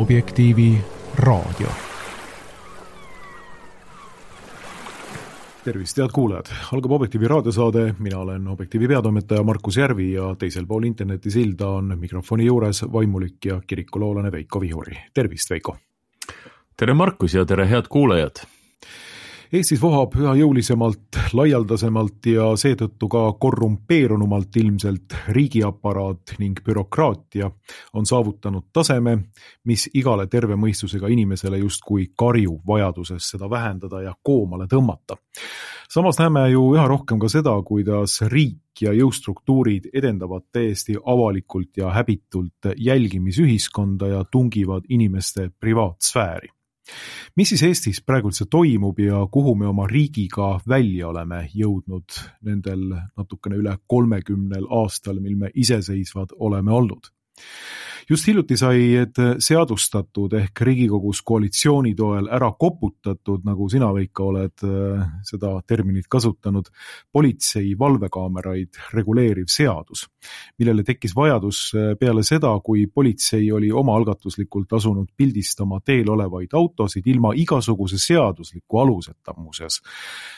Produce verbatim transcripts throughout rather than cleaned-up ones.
Objektiivi raadio. Tervist, head kuulajad! Algab Objektiivi raadiosaade, mina olen Objektiivi peatoimetaja Markus Järvi ja teisel pool internetisilda on mikrofoni juures vaimulik ja kirikuloolane Veiko Vihuri. Tervist, Veiko! Tere Markus ja tere head kuulajad! Eestis vohab üha jõulisemalt, laialdasemalt ja seetõttu ka korrumpeerunumalt ilmselt riigiaparaat ning bürokraatia on saavutanud taseme, mis igale terve mõistusega inimesele justkui karju vajaduses seda vähendada ja koomale tõmmata. Samas näeme ju üha rohkem ka seda, kuidas riik ja jõustruktuurid edendavad täiesti avalikult ja häbitult jälgimisühiskonda ja tungivad inimeste privaatsfääri. Mis siis Eestis praegu üldse toimub ja kuhu me oma riigiga välja oleme jõudnud nendel natukene üle kolmekümnel aastal, mil me iseseisvad oleme olnud? Just hiljuti sai seadustatud ehk Riigikogus koalitsiooni toel ära koputatud, nagu sina, Veiko, oled seda terminit kasutanud, politsei valvekaameraid reguleeriv seadus, millele tekkis vajadus peale seda, kui politsei oli omaalgatuslikult asunud pildistama teel olevaid autosid ilma igasuguse seadusliku aluseta muuseas.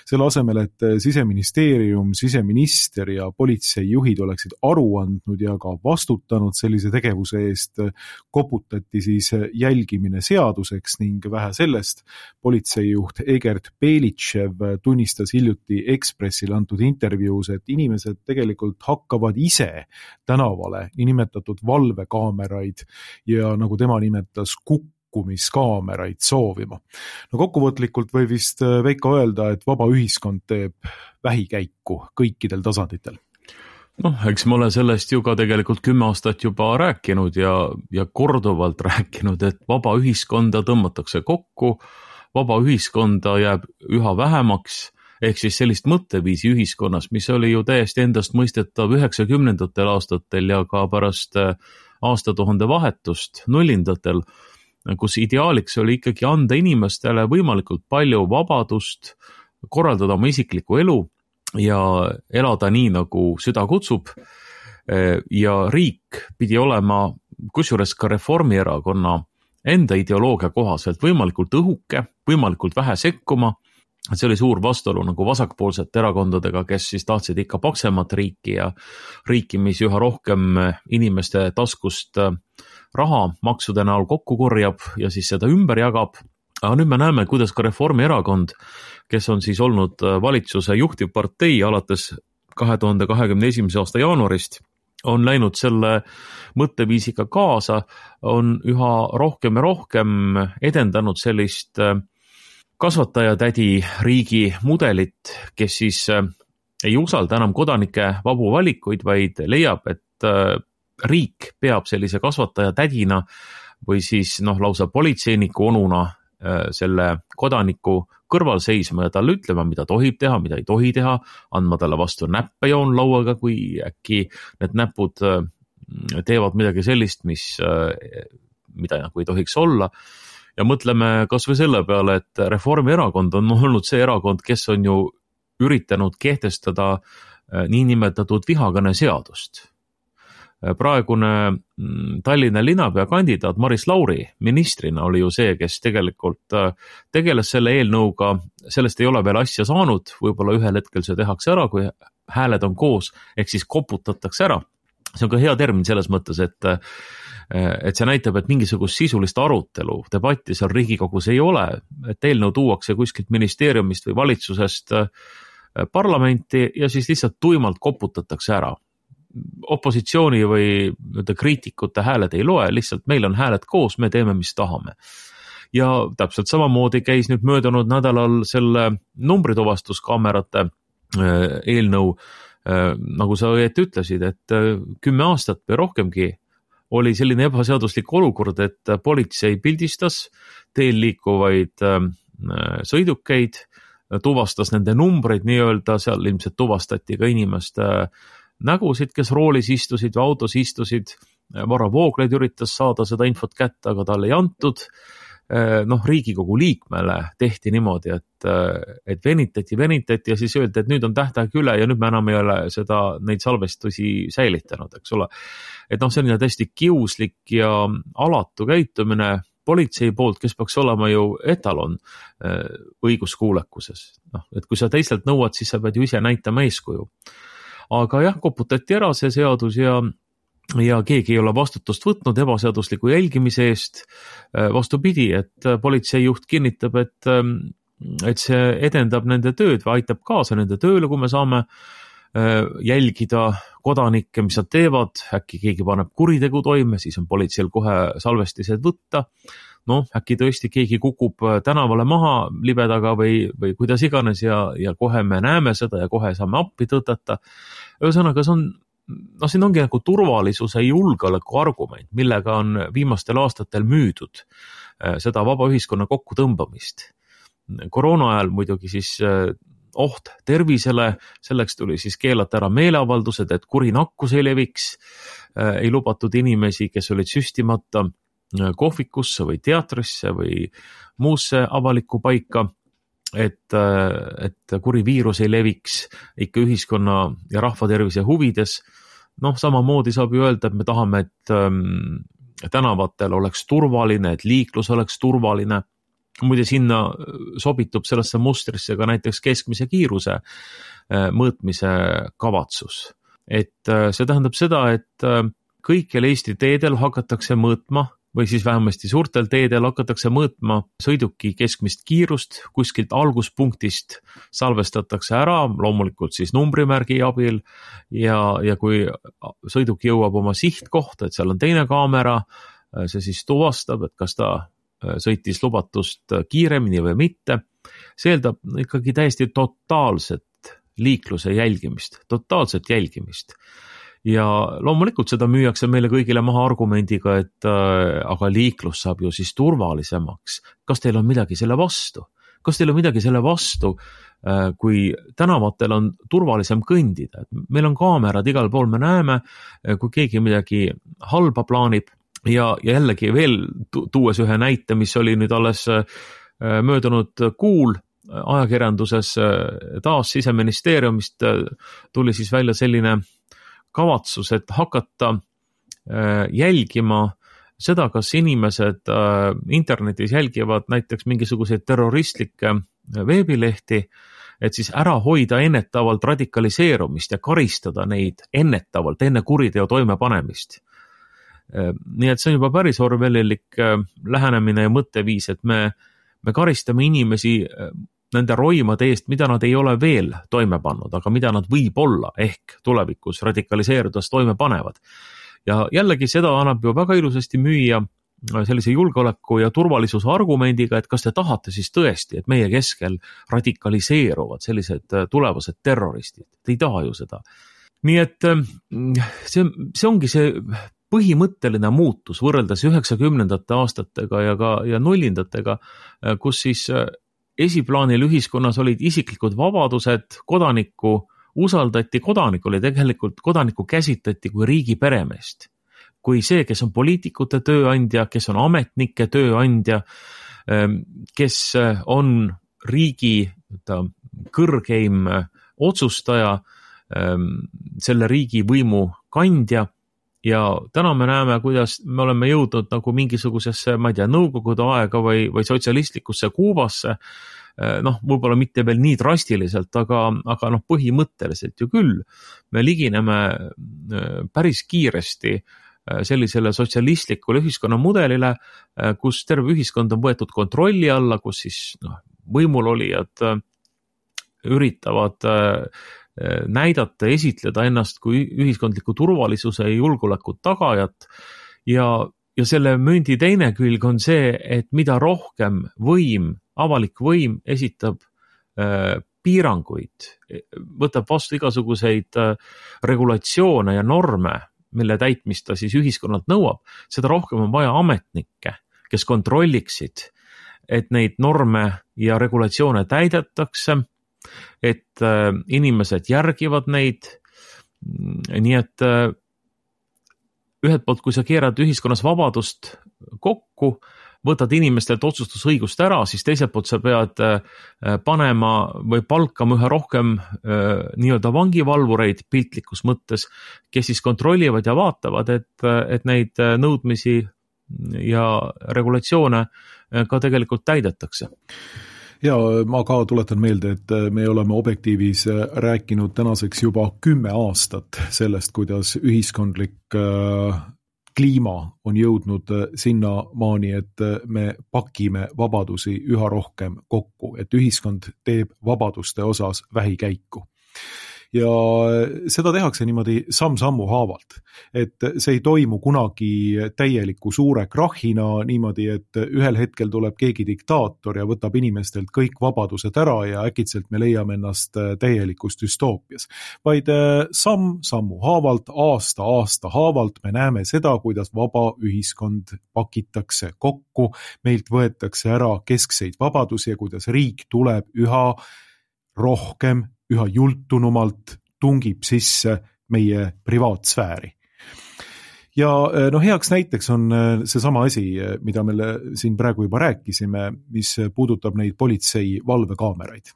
Selle asemel, et Siseministeerium, siseminister ja politseijuhid oleksid aru andnud ja ka vastutanud sellise tegevuse eest, koputati siis jälgimine seaduseks ning vähe sellest, politseijuht Egert Belitšev tunnistas hiljuti Ekspressile antud intervjuus, et inimesed tegelikult hakkavad ise tänavale nimetatud valvekaameraid ja nagu tema nimetas kukkumiskaameraid soovima. No kokkuvõtlikult või vist Veiko öelda, et vaba ühiskond teeb vähikäiku kõikidel tasanditel. Noh, eks ma olen sellest ju ka tegelikult kümme aastat juba rääkinud ja, ja korduvalt rääkinud, et vaba ühiskonda tõmmatakse kokku, vaba ühiskonda jääb üha vähemaks, ehk siis sellist mõtteviisi ühiskonnas, mis oli ju täiesti endast mõistetav üheksakümnendatel aastatel ja ka pärast aastatuhande vahetust nullindatel, kus ideaaliks oli ikkagi anda inimestele võimalikult palju vabadust, korraldada oma isiklikku elu ja elada nii, nagu süda kutsub. Ja riik pidi olema, kusjuures ka Reformierakonna enda ideoloogia kohaselt võimalikult õhuke, võimalikult vähe sekkuma. See oli suur vastuolu nagu vasakpoolsete erakondadega, kes siis tahtsid ikka paksemat riiki ja riiki, mis üha rohkem inimeste taskust raha maksude näol kokku korjab ja siis seda ümber jagab. Aga nüüd me näeme, kuidas ka Reformierakond, kes on siis olnud valitsuse juhtivpartei alates kahe tuhande kahekümne esimese aasta jaanuarist, on läinud selle mõtteviisiga kaasa, on üha rohkem ja rohkem edendanud sellist kasvatajatädi riigi mudelit, kes siis ei usalda enam kodanike vabu valikuid, vaid leiab, et riik peab sellise kasvatajatädina või siis noh, lausa politseiniku onuna selle kodaniku kõrval seisma ja talle ütlema, mida tohib teha, mida ei tohi teha, andma talle vastu näppe joonlauaga, kui äkki need näpud teevad midagi sellist, mis, mida nagu ei tohiks olla. Ja mõtleme kas või selle peale, et Reformierakond on olnud see erakond, kes on ju üritanud kehtestada niinimetatud vihakõne seadust. Praegune Tallinna linnapea kandidaat Maris Lauri ministrina oli ju see, kes tegelikult tegeles selle eelnõuga, sellest ei ole veel asja saanud, võib-olla ühel hetkel see tehakse ära, kui hääled on koos, ehk siis koputatakse ära. See on ka hea termin selles mõttes, et, et see näitab, et mingisugust sisulist arutelu, debatti seal Riigikogus ei ole, et eelnõu tuuakse kuskilt ministeeriumist või valitsusest parlamenti ja siis lihtsalt tuimalt koputatakse ära. Opositsiooni või kriitikute hääled ei loe, lihtsalt meil on hääled koos, me teeme, mis tahame. Ja täpselt samamoodi käis nüüd möödunud nädalal selle numbrituvastuskaamerate eelnõu, nagu sa õieti ütlesid, et kümme aastat või rohkemgi oli selline ebaseaduslik olukord, et politsei pildistas teel liikuvaid sõidukeid, tuvastas nende numbreid nii-öelda, seal ilmselt tuvastati ka inimeste nägusid, kes roolis istusid või autos istusid. Varro Vooglaid üritas saada seda infot kätte, aga talle ei antud. noh, Riigikogu liikmele tehti niimoodi, et, et venitati, venitati ja siis öeldi, et nüüd on tähtaeg üle ja nüüd me enam ei ole seda, neid salvestusi säilitanud, eks ole. Et noh, selline täiesti kiuslik ja alatu käitumine, politsei poolt, kes peaks olema ju etalon õiguskuulekuses. No, et kui sa teistelt nõuad, siis sa pead ju ise näitama eeskuju. Aga jah, koputati ära see seadus ja, ja keegi ei ole vastutust võtnud ebaseadusliku jälgimise eest. Vastupidi, et politseijuht kinnitab, et, et see edendab nende tööd või aitab kaasa nende tööle, kui me saame jälgida kodanikke, mis nad teevad, äkki keegi paneb kuritegu toime, siis on politseil kohe salvestised võtta. No, äkki tõesti keegi kukub tänavale maha libedaga või, või kuidas iganes ja, ja kohe me näeme seda ja kohe saame appi tõtata. Ühesõnaga, see on, no siin ongi nagu turvalisuse julgeoleku argument, millega on viimastel aastatel müüdud seda vaba ühiskonna kokkutõmbamist. Koroona ajal muidugi siis oht tervisele, selleks tuli siis keelata ära meeleavaldused, et kuri nakkus ei leviks, ei lubatud inimesi, kes olid süstimata kohvikusse või teatrisse või muusse avalikku paika, et, et kuri viirus ei leviks ikka ühiskonna ja rahva tervise huvides. Noh, samamoodi saab ju öelda, et me tahame, et tänavatel oleks turvaline, et liiklus oleks turvaline. Muide sinna sobitub sellesse mustrisse ka näiteks keskmise kiiruse mõõtmise kavatsus. Et see tähendab seda, et kõikjal Eesti teedel hakatakse mõõtma või siis vähemasti suurtel teedel hakatakse mõõtma sõiduki keskmist kiirust, kuskilt alguspunktist salvestatakse ära, loomulikult siis numbrimärgi abil ja, ja kui sõiduk jõuab oma sihtkohta, et seal on teine kaamera, see siis tuvastab, et kas ta sõitis lubatust kiiremini või mitte. See eeldab ikkagi täiesti totaalset liikluse jälgimist, totaalset jälgimist. Ja loomulikult seda müüakse meile kõigile maha argumendiga, et äh, aga liiklus saab ju siis turvalisemaks. Kas teil on midagi selle vastu? Kas teil on midagi selle vastu, äh, kui tänavatel on turvalisem kõndida? Meil on kaamerad igal pool, me näeme, kui keegi midagi halba plaanib. Ja, ja jällegi veel tuues ühe näite, mis oli nüüd alles möödunud kuul ajakirjanduses, taas Siseministeeriumist tuli siis välja selline kavatsus, et hakata jälgima seda, kas inimesed internetis jälgivad näiteks mingisuguseid terroristlikke veebilehti, et siis ära hoida ennetavalt radikaliseerumist ja karistada neid ennetavalt enne kuriteo toimepanemist. Nii et see on juba päris orwellilik lähenemine ja mõtteviis, et me, me karistame inimesi nende roimade eest, mida nad ei ole veel toime pannud, aga mida nad võib olla ehk tulevikus radikaliseerudes toime panevad. Ja jällegi seda annab ju väga ilusasti müüa sellise julgeoleku ja turvalisuse argumendiga, et kas te tahate siis tõesti, et meie keskel radikaliseeruvad sellised tulevased terroristid. Te ei taha ju seda. Nii et see, see ongi see põhimõtteline muutus võrreldes üheksakümnendate aastatega ja ka ja nullindatega, kus siis esiplaanil ühiskonnas olid isiklikud vabadused, kodanikku usaldati, kodanik oli tegelikult, kodanikku käsitleti kui riigi peremeest. Kui see, kes on poliitikute tööandja, kes on ametnike tööandja, kes on riigi kõrgeim otsustaja, selle riigi võimu kandja. Ja täna me näeme, kuidas me oleme jõudnud nagu mingisugusesse, ma ei tea, nõukogude aega või, või sotsialistlikusse Kuubasse, noh, võib-olla mitte veel nii drastiliselt, aga, aga noh, põhimõtteliselt ju küll. Me ligineme päris kiiresti sellisele sotsialistlikule ühiskonna mudelile, kus terve ühiskond on võetud kontrolli alla, kus siis noh, võimulolijad üritavad näidata, esitleda ennast kui ühiskondliku turvalisuse ja julgeoleku tagajat ja, ja selle mündi teine külg on see, et mida rohkem võim, avalik võim esitab äh, piiranguid, võtab vastu igasuguseid äh, regulatsioone ja norme, mille täitmist ta siis ühiskonnalt nõuab, seda rohkem on vaja ametnikke, kes kontrolliksid, et neid norme ja regulatsioone täidetakse, et äh, inimesed järgivad neid, nii et äh, ühelt poolt, kui sa keerad ühiskonnas vabadust kokku, võtad inimestelt otsustusõigust ära, siis teiselt poolt sa pead äh, panema või palkama ühe rohkem äh, nii-öelda vangivalvureid piltlikus mõttes, kes siis kontrollivad ja vaatavad, et, et neid nõudmisi ja regulatsioone ka tegelikult täidetakse. Ja ma ka tuletan meelde, et me oleme Objektiivis rääkinud tänaseks juba kümme aastat sellest, kuidas ühiskondlik kliima on jõudnud sinna maani, et me pakime vabadusi üha rohkem kokku, et ühiskond teeb vabaduste osas vähikäiku. Ja seda tehakse niimoodi samm-sammu haavalt, et see ei toimu kunagi täieliku suure krahhina niimoodi, et ühel hetkel tuleb keegi diktaator ja võtab inimestelt kõik vabadused ära ja äkitselt me leiame ennast täielikus düstoopias. Vaid samm-sammu haavalt, aasta-aasta haavalt me näeme seda, kuidas vaba ühiskond pakitakse kokku, meilt võetakse ära keskseid vabadusi ja kuidas riik tuleb üha rohkem üha jultunumalt tungib sisse meie privaatsfääri. Ja no heaks näiteks on seesama asi, mida me siin praegu juba rääkisime, mis puudutab neid politsei valvekaameraid.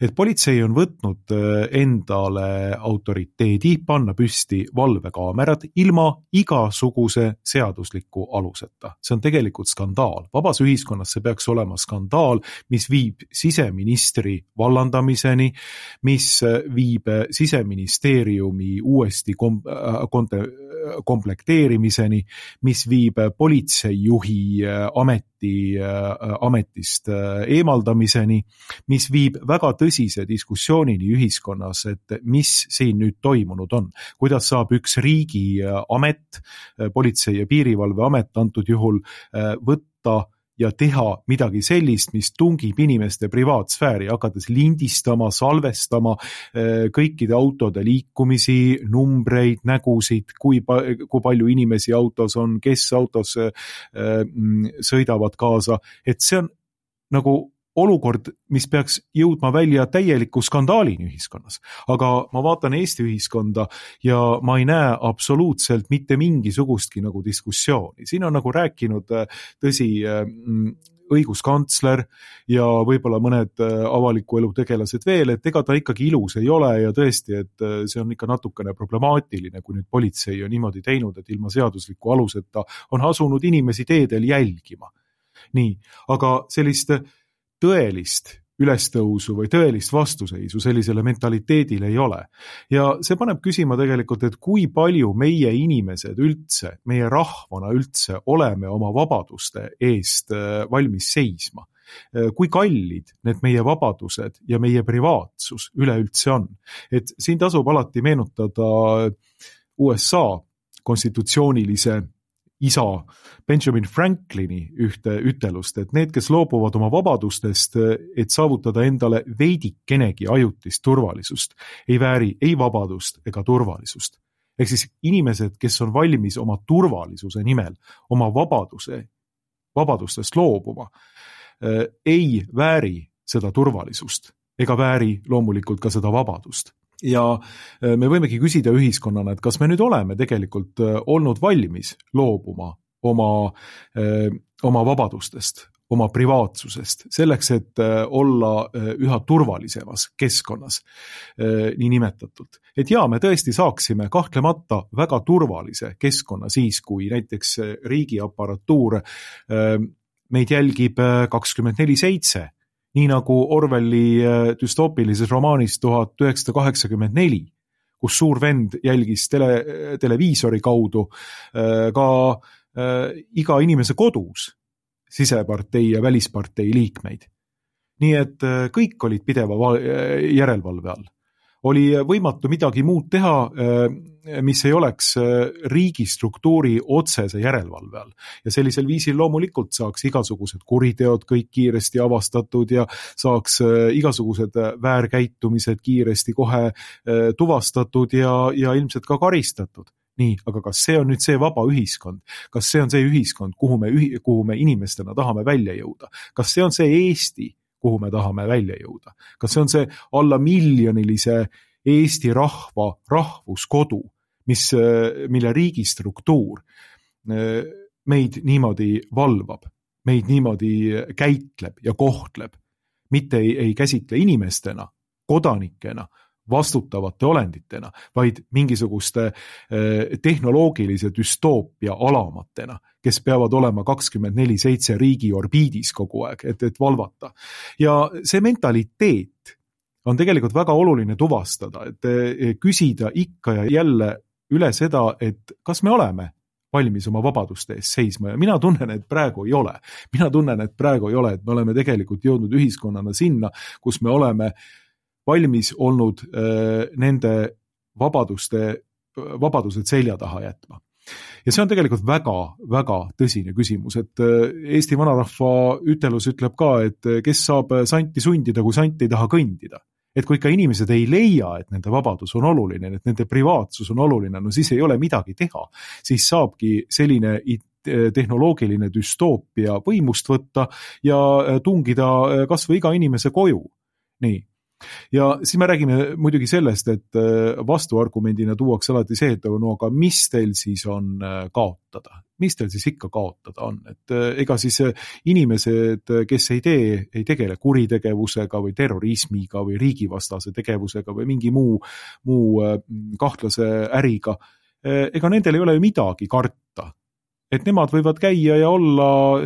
Et politsei on võtnud endale autoriteedi panna püsti valvekaamerad ilma igasuguse seadusliku aluseta. See on tegelikult skandaal. Vabas ühiskonnas see peaks olema skandaal, mis viib siseministri vallandamiseni, mis viib siseministeeriumi uuesti kom- konte- komplekteerimiseni, mis viib politseijuhi ameti, ametist eemaldamiseni, mis viib väga tõsise diskussioonini ühiskonnas, et mis siin nüüd toimunud on. Kuidas saab üks riigi amet, politsei- ja piirivalveamet antud juhul võtta ja teha midagi sellist, mis tungib inimeste privaatsfääri, hakates lindistama, salvestama kõikide autode liikumisi, numbreid, nägusid, kui, pa- kui palju inimesi autos on, kes autos sõidavad kaasa, et see on nagu olukord, mis peaks jõudma välja täieliku skandaalini ühiskonnas. Aga ma vaatan Eesti ühiskonda ja ma ei näe absoluutselt mitte mingisugustki nagu diskussiooni. Siin on nagu rääkinud tõsi õiguskantsler ja võib-olla mõned avaliku elu tegelased veel, et ega ta ikkagi ilus ei ole ja tõesti, et see on ikka natukene problemaatiline, kui nüüd politsei on niimoodi teinud, et ilma seadusliku aluseta on asunud inimesi teedel jälgima. Nii, aga sellist tõelist ülestõusu või tõelist vastuseisu sellisele mentaliteedile ei ole. Ja see paneb küsima tegelikult, et kui palju meie inimesed üldse, meie rahvana üldse oleme oma vabaduste eest valmis seisma. Kui kallid need meie vabadused ja meie privaatsus üleüldse on. Et siin tasub alati meenutada U S A konstitutsioonilise isa Benjamin Franklini ühte ütelust, et need, kes loobuvad oma vabadustest, et saavutada endale veidikenegi ajutist turvalisust, ei vääri ei vabadust ega turvalisust. Ehk siis inimesed, kes on valmis oma turvalisuse nimel, oma vabaduse, vabadustest loobuma, ei vääri seda turvalisust ega vääri loomulikult ka seda vabadust. Ja me võimegi küsida ühiskonnana, et kas me nüüd oleme tegelikult olnud valmis loobuma oma, oma vabadustest, oma privaatsusest, selleks, et olla üha turvalisemas keskkonnas, nii nimetatult. Et jaa, me tõesti saaksime kahtlemata väga turvalise keskkonna siis, kui näiteks riigiaparatuur meid jälgib kakskümmend neli seitse, nii nagu Orwelli düstoopilises romaanis tuhat üheksasada kaheksakümmend neli, kus suur vend jälgis tele, televiisori kaudu ka iga inimese kodus sisepartei ja välispartei liikmeid. Nii et kõik olid pideva järelevalve all. Oli võimatu midagi muud teha, mis ei oleks riigistruktuuri otsese järelevalve all. Ja sellisel viisil loomulikult saaks igasugused kuriteod kõik kiiresti avastatud ja saaks igasugused väärkäitumised kiiresti kohe tuvastatud ja, ja ilmselt ka karistatud. Nii, aga kas see on nüüd see vaba ühiskond? Kas see on see ühiskond, kuhu me, kuhu me inimestena tahame välja jõuda? Kas see on see Eesti, kuhu me tahame välja jõuda? Kas see on see alla miljonilise Eesti rahva rahvuskodu, mis, mille riigistruktuur meid niimoodi valvab, meid niimoodi käitleb ja kohtleb, mitte ei, ei käsitle inimestena, kodanikena, vastutavate olenditena, vaid mingisuguste tehnoloogilise düstoopia alamatena, kes peavad olema kakskümmend neli seitse riigi orbiidis kogu aeg, et, et valvata. Ja see mentaliteet on tegelikult väga oluline tuvastada, et küsida ikka ja jälle üle seda, et kas me oleme valmis oma vabaduste eest seisma ja mina tunnen, et praegu ei ole. Mina tunnen, et praegu ei ole, et me oleme tegelikult jõudnud ühiskonnana sinna, kus me oleme valmis olnud äh, nende vabaduste, vabadused selja taha jätma. Ja see on tegelikult väga, väga tõsine küsimus, et Eesti vanarahva ütelus ütleb ka, et kes saab santi sundida, kui sant ei taha kõndida. Et kui ikka inimesed ei leia, et nende vabadus on oluline, et nende privaatsus on oluline, no siis ei ole midagi teha. Siis saabki selline tehnoloogiline düstoopia võimust võtta ja tungida kas või iga inimese koju. Nii. Ja siis me räägime muidugi sellest, et vastuargumendina tuuakse alati see, et no aga mis teil siis on kaotada? Mis teil siis ikka kaotada on? Et ega siis inimesed, kes ei tee, ei tegele kuritegevusega või terrorismiga või riigivastase tegevusega või mingi muu, muu kahtlase äriga, ega nendel ei ole ju midagi karta. Et nemad võivad käia ja olla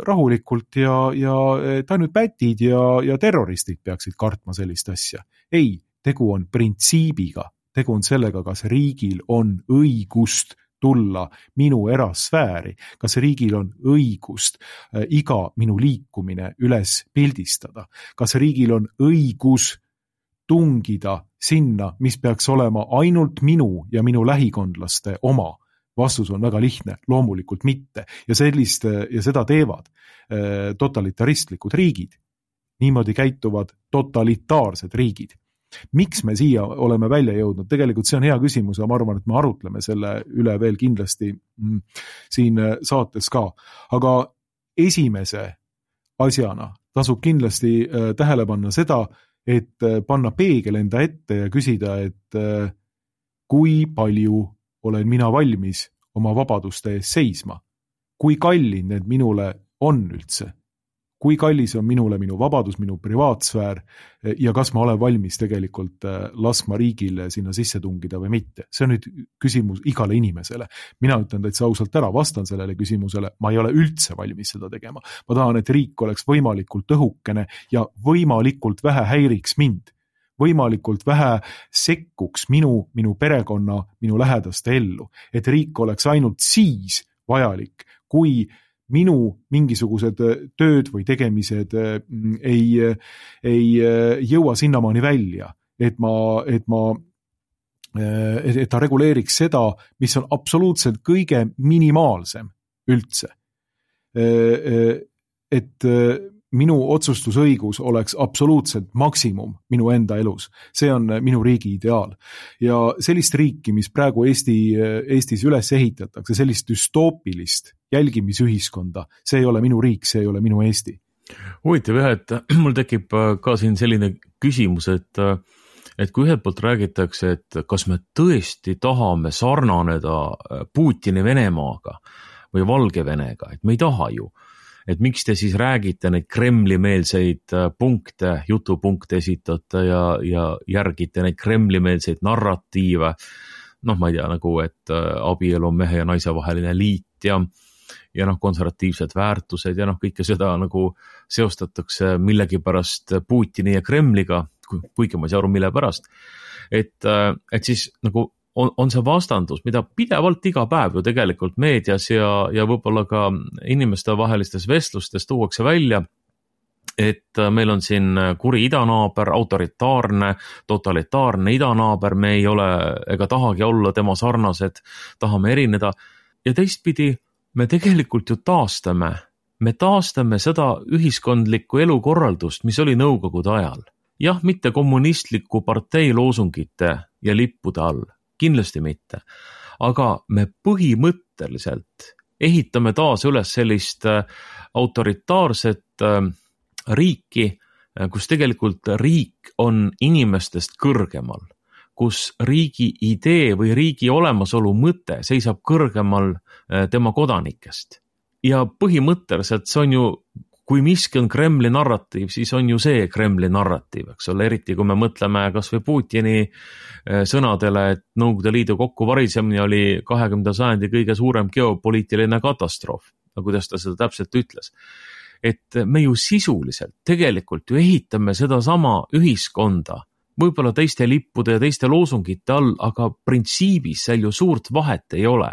rahulikult ja, ja et ainult pätid ja, ja terroristid peaksid kartma sellist asja. Ei, tegu on printsiibiga. Tegu on sellega, kas riigil on õigust tulla minu erasfääri, kas riigil on õigust iga minu liikumine üles pildistada, kas riigil on õigus tungida sinna, mis peaks olema ainult minu ja minu lähikondlaste oma. Vastus on väga lihtne, loomulikult mitte. Ja sellist, ja seda teevad totalitaristlikud riigid. Niimoodi käituvad totalitaarsed riigid. Miks me siia oleme välja jõudnud? Tegelikult see on hea küsimus ja ma arvan, et me arutleme selle üle veel kindlasti siin saates ka. Aga esimese asjana tasub kindlasti tähele panna seda, et panna peegel enda ette ja küsida, et kui palju olen mina valmis oma vabaduste ees seisma. Kui kallid need minule on üldse? Kui kallis on minule minu vabadus, minu privaatsfäär ja kas ma olen valmis tegelikult laskma riigile sinna sisse tungida või mitte? See on nüüd küsimus igale inimesele. Mina ütlen täitsa ausalt ära, vastan sellele küsimusele. Ma ei ole üldse valmis seda tegema. Ma tahan, et riik oleks võimalikult õhukene ja võimalikult vähe häiriks mind. Võimalikult vähe sekkuks minu, minu perekonna, minu lähedaste ellu. Et riik oleks ainult siis vajalik, kui minu mingisugused tööd või tegemised ei, ei jõua sinnamaani välja, et, ma, et, ma, et ta reguleeriks seda, mis on absoluutselt kõige minimaalsem üldse. Et minu otsustusõigus oleks absoluutselt maksimum minu enda elus. See on minu riigi ideaal. Ja sellist riiki, mis praegu Eesti, Eestis üles ehitatakse, sellist düstoopilist jälgimisühiskonda, see ei ole minu riik, see ei ole minu Eesti. Huvitav jah, et mul tekib ka siin selline küsimus, et, et kui ühelt poolt räägitakse, et kas me tõesti tahame sarnaneda Putini Venemaaga või Valgevenega, et me ei taha ju. Et miks te siis räägite neid Kremli-meelseid punkte, jutupunkte esitate ja, ja järgite neid Kremli-meelseid narratiive. Noh, ma ei tea, nagu, et abielu on mehe ja naise vaheline liit ja, ja noh, konservatiivsed väärtused ja noh, kõike seda nagu seostatakse millegipärast Putini ja Kremliga, kuigi ma ei saa aru, mille pärast. Et, et siis nagu On, on see vastandus, mida pidevalt iga päev ju tegelikult meedias ja, ja võib-olla ka inimeste vahelistes vestlustes tuuakse välja, et meil on siin kuri idanaaber, autoritaarne, totalitaarne idanaaber, me ei ole ega tahagi olla tema sarnased, tahame erineda ja teistpidi me tegelikult ju taastame, me taastame seda ühiskondlikku elukorraldust, mis oli nõukogude ajal. Jah, mitte kommunistliku partei loosungite ja lippude all. Kindlasti mitte. Aga me põhimõtteliselt ehitame taas üles sellist autoritaarset riiki, kus tegelikult riik on inimestest kõrgemal, kus riigi idee või riigi olemasolu mõte seisab kõrgemal tema kodanikest. Ja põhimõtteliselt see on ju kui miski on Kremli narratiiv, siis on ju see Kremli narratiiv, eks ole, eriti kui me mõtleme kas või Putini sõnadele, et Nõukogude Liidu kokkuvarisemine oli kahekümnenda sajandi kõige suurem geopoliitiline katastroof, no kuidas ta seda täpselt ütles. Et me ju sisuliselt tegelikult ju ehitame seda sama ühiskonda, võib-olla teiste lippude ja teiste loosungite all, aga printsiibis seal ju suurt vahet ei ole.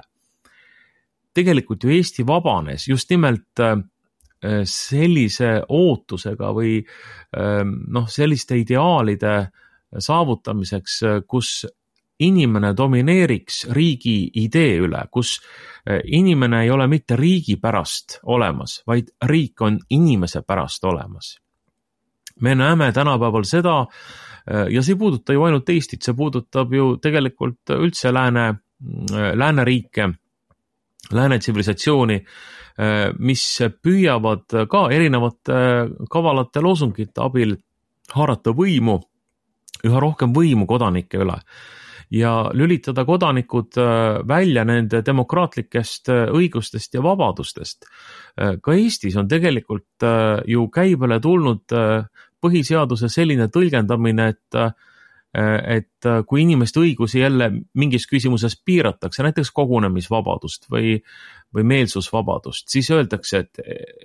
Tegelikult ju Eesti vabanes just nimelt sellise ootusega või noh, selliste ideaalide saavutamiseks, kus inimene domineeriks riigi idee üle, kus inimene ei ole mitte riigi pärast olemas, vaid riik on inimese pärast olemas. Me näeme tänapäeval seda, ja see ei puuduta ju ainult Eestit, see puudutab ju tegelikult üldse lääne, lääneriike, lääne tsivilisatsiooni, mis püüavad ka erinevate kavalate loosungite abil haarata võimu, üha rohkem võimu kodanike üle ja lülitada kodanikud välja nende demokraatlikest õigustest ja vabadustest. Ka Eestis on tegelikult ju käibele tulnud põhiseaduse selline tõlgendamine, et et kui inimeste õigusi jälle mingis küsimuses piiratakse, näiteks kogunemisvabadust või, või meelsusvabadust, siis öeldakse, et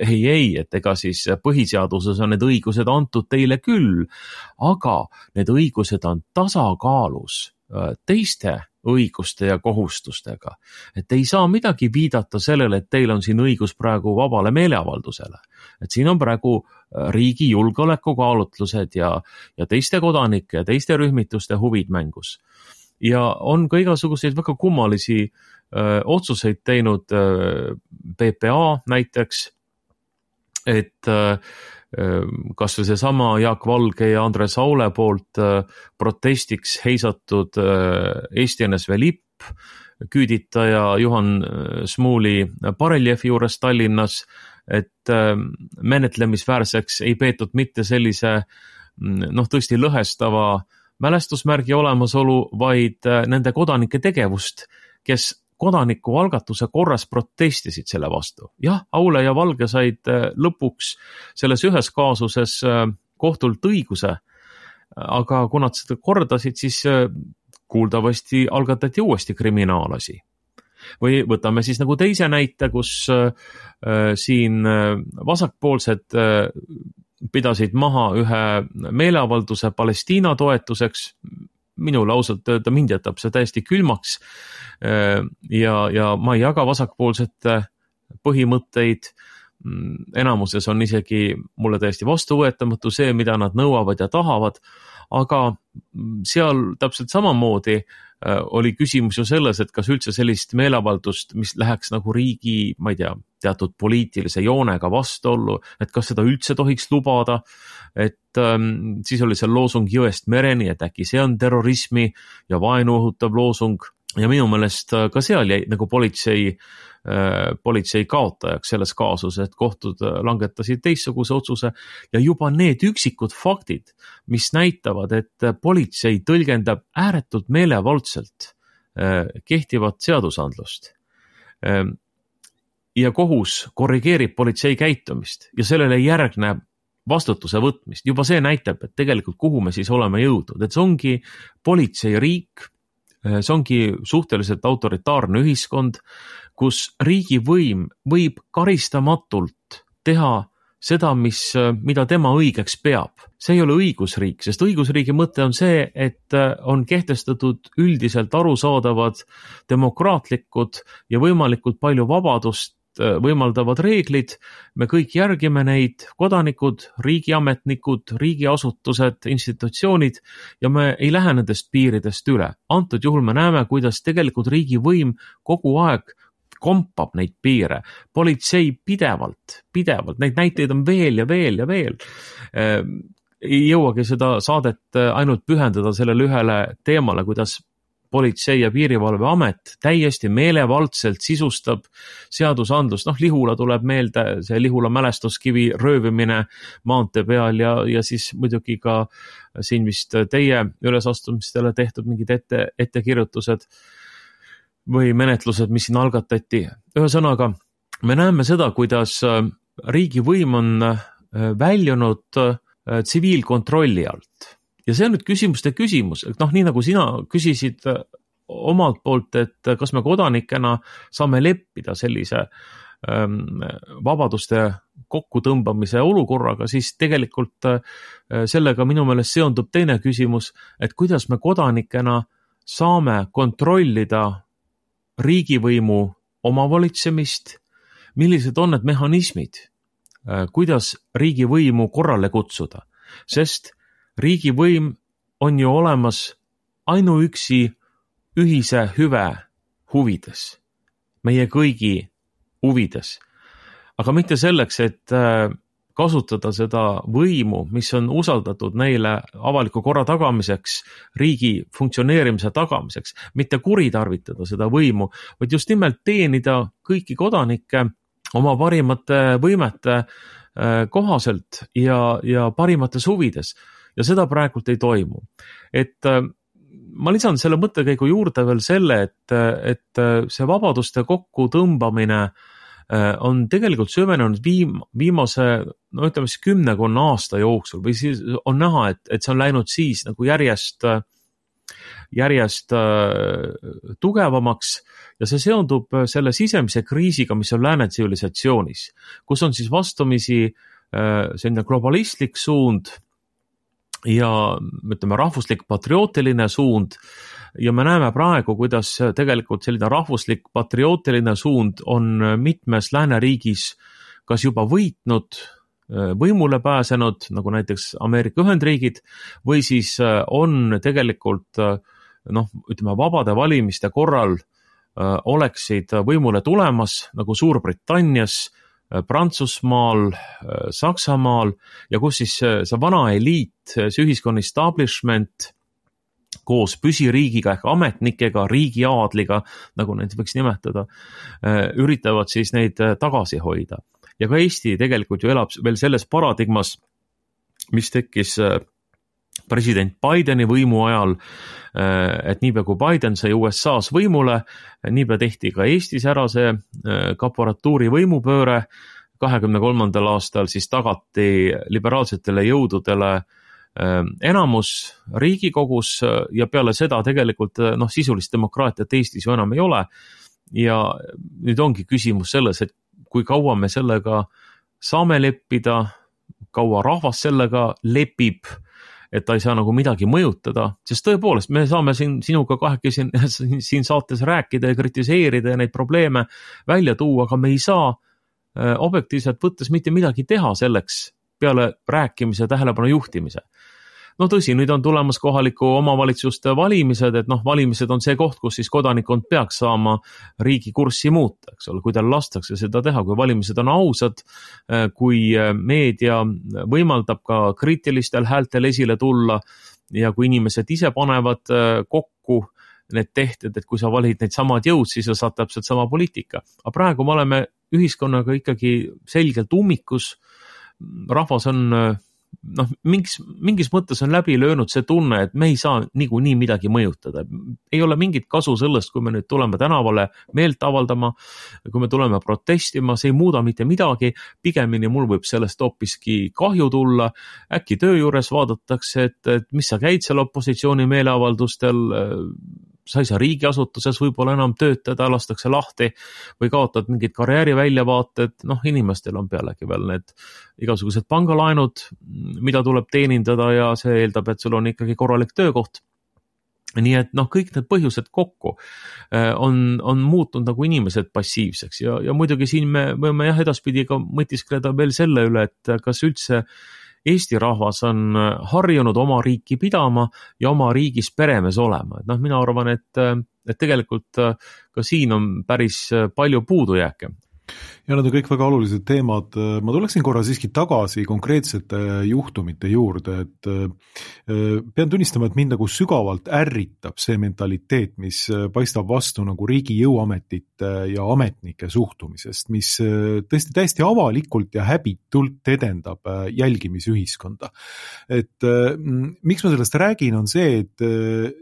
ei, ei, et ega siis põhiseaduses on need õigused antud teile küll, aga need õigused on tasakaalus teiste õiguste ja kohustustega. Et ei saa midagi viidata sellele, et teil on siin õigus praegu vabale meeleavaldusele. Et siin on praegu riigi julgeolekukaalutlused ja, ja teiste kodanike ja teiste rühmituste huvid mängus. Ja on ka igasuguseid väga kummalisi öö, otsuseid teinud öö, P P A näiteks, et öö, kas või see sama Jaak Valge ja Andres Aule poolt protestiks heisatud Eesti N S V lipp, küüditaja Juhan Smuuli bareljeefi juures Tallinnas, et menetlemisväärseks ei peetud mitte sellise noh, tõesti lõhestava mälestusmärgi olemasolu, vaid nende kodanike tegevust, kes kodanikualgatuse korras protestisid selle vastu. Jah, Aule ja Valge said lõpuks selles ühes kaasuses kohtult õiguse, aga kui nad seda kordasid, siis kuuldavasti algatati uuesti kriminaalasi. Või võtame siis nagu teise näite, kus siin vasakpoolsed pidasid maha ühe meeleavalduse Palestiina toetuseks. Minule ausalt öelda mind jätab see täiesti külmaks ja, ja ma ei jaga vasakpoolsete põhimõtteid. Enamuses on isegi mulle täiesti vastuvõetamatu see, mida nad nõuavad ja tahavad, aga seal täpselt samamoodi oli küsimus ju selles, et kas üldse sellist meeleavaldust, mis läheks nagu riigi, ma ei tea, teatud poliitilise joonega vastuollu, et kas seda üldse tohiks lubada, et ähm, siis oli seal loosung jõest mereni, et äkki see on terrorismi ja vaenu õhutav loosung ja minu meelest ka seal jäi nagu politsei, äh, politsei kaotajaks selles kaasuses, et kohtud langetasid teistsuguse otsuse ja juba need üksikud faktid, mis näitavad, et politsei tõlgendab ääretult meelevaldselt äh, kehtivat seadusandlust äh, ja kohus korrigeerib politsei käitumist ja sellele järgneb vastutuse võtmist. Juba see näitab, et tegelikult kuhu me siis oleme jõudnud, et see ongi politseiriik, see ongi suhteliselt autoritaarne ühiskond, kus riigivõim võib karistamatult teha seda, mis, mida tema õigeks peab. See ei ole õigusriik, sest õigusriigi mõte on see, et on kehtestatud üldiselt arusaadavad demokraatlikud ja võimalikult palju vabadust võimaldavad reeglid, me kõik järgime neid, kodanikud, riigiametnikud, riigiasutused, institutsioonid ja me ei lähe nendest piiridest üle. Antud juhul me näeme, kuidas tegelikult riigivõim kogu aeg kompab neid piire. Politsei pidevalt, pidevalt, neid näiteid on veel ja veel ja veel. Ei jõuagi seda saadet ainult pühendada sellele ühele teemale, kuidas politsei ja piirivalveamet täiesti meelevaldselt sisustab seadusandlust. Noh, Lihula tuleb meelde, see Lihula mälestuskivi röövimine maantee peal ja, ja siis muidugi ka siin vist teie ülesastumistele tehtud mingid ette, ettekirjutused või menetlused, mis siin algatati. Ühesõnaga, me näeme seda, kuidas riigivõim on väljunud tsiviilkontrolli alt. Ja see on nüüd küsimuste küsimus, et noh, nii nagu sina küsisid omalt poolt, et kas me kodanikena saame leppida sellise ähm, vabaduste kokkutõmbamise olukorraga, siis tegelikult äh, sellega minu meelest seondub teine küsimus, et kuidas me kodanikena saame kontrollida riigivõimu omavalitsemist, millised on need mehhanismid, kuidas riigivõimu korrale kutsuda, sest riigivõim on ju olemas ainuüksi ühise hüve huvides, meie kõigi huvides, aga mitte selleks, et kasutada seda võimu, mis on usaldatud neile avaliku korra tagamiseks, riigi funktsioneerimise tagamiseks, mitte kuritarvitada seda võimu, vaid just nimelt teenida kõiki kodanikke oma parimate võimete kohaselt ja, ja parimates huvides. Ja seda praegult ei toimu. Et ma lisan selle mõttekäigu juurde veel selle, et, et see vabaduste kokkutõmbamine on tegelikult süvenenud viim, viimase, no ütleme siis kümnekonna aasta jooksul või siis on näha, et, et see on läinud siis nagu järjest, järjest tugevamaks ja see seondub selle sisemise kriisiga, mis on lääne tsivilisatsionis, kus on siis vastumisi selline globalistlik suund ja ütleme rahvuslik patriootiline suund ja me näeme praegu, kuidas tegelikult selline rahvuslik patriootiline suund on mitmes lääneriigis kas juba võitnud, võimule pääsenud, nagu näiteks Ameerika Ühendriigid, või siis on tegelikult noh, ütleme vabade valimiste korral oleksid võimule tulemas nagu Suurbritannias, Prantsusmaal, Saksamaal ja kus siis see vana eliit, see ühiskonna establishment koos püsiriigiga ehk ametnikega, riigiaadliga, nagu neid võiks nimetada, üritavad siis neid tagasi hoida. Ja ka Eesti tegelikult ju elab veel selles paradigmas, mis tekkis president Bideni võimu ajal, et niipea kui Biden sai U S A-s võimule, niipea tehti ka Eestis ära see kaporatuuri võimupööre, kahekümne kolmandal aastal siis tagati liberaalsetele jõududele enamus Riigikogus ja peale seda tegelikult noh, sisulist demokraatiat Eestis ju enam ei ole ja nüüd ongi küsimus selles, et kui kaua me sellega saame leppida, kaua rahvas sellega lepib, et ta ei saa nagu midagi mõjutada, sest tõepoolest me saame siin sinuga kahekesi siin, siin saates rääkida ja kritiseerida ja neid probleeme välja tuua, aga me ei saa objektiivselt võttes mitte midagi teha selleks peale rääkimise tähelepanu juhtimise. No tõsi, nüüd on tulemas kohaliku omavalitsuste valimised, et noh, valimised on see koht, kus siis kodanikkond peaks saama riigi kurssi muuta, eks ole, kui tal lastakse seda teha, kui valimised on ausad, kui meedia võimaldab ka kriitilistel häältel esile tulla ja kui inimesed ise panevad kokku need tehted, et kui sa valid neid samad jõud, siis sa saad täpselt sama poliitika. Aga praegu me oleme ühiskonnaga ikkagi selgelt ummikus, rahvas on noh, mingis, mingis mõttes on läbi löönud see tunne, et me ei saa niikuinii midagi mõjutada. Ei ole mingit kasu sellest, kui me nüüd tuleme tänavale meelt avaldama, kui me tuleme protestima, see ei muuda mitte midagi, pigemini mul võib sellest hoopiski kahju tulla, äkki töö juures vaadatakse, et, et mis sa käid seal opositsiooni meeleavaldustel, sa ei saa riigiasutuses võib-olla enam töötada, lastakse lahti või kaotad mingid karjääri väljavaated, noh inimestel on pealegi veel need igasugused pangalaenud, mida tuleb teenindada ja see eeldab, et sul on ikkagi korralik töökoht. Nii et noh, kõik need põhjused kokku on, on muutunud nagu inimesed passiivseks ja, ja muidugi siin me võime jah edaspidi ka mõtiskleda veel selle üle, et kas üldse Eesti rahvas on harjunud oma riiki pidama ja oma riigis peremees olema. Et noh, mina arvan, et, et tegelikult ka siin on päris palju puudujääke. Ja need on kõik väga olulised teemad. Ma tuleksin korra siiski tagasi konkreetsete juhtumite juurde, et pean tunnistama, et mind nagu sügavalt ärritab see mentaliteet, mis paistab vastu nagu riigi jõuametite ja ametnike suhtumisest, mis tõesti täiesti avalikult ja häbitult edendab jälgimisühiskonda. Et miks ma sellest räägin, on see, et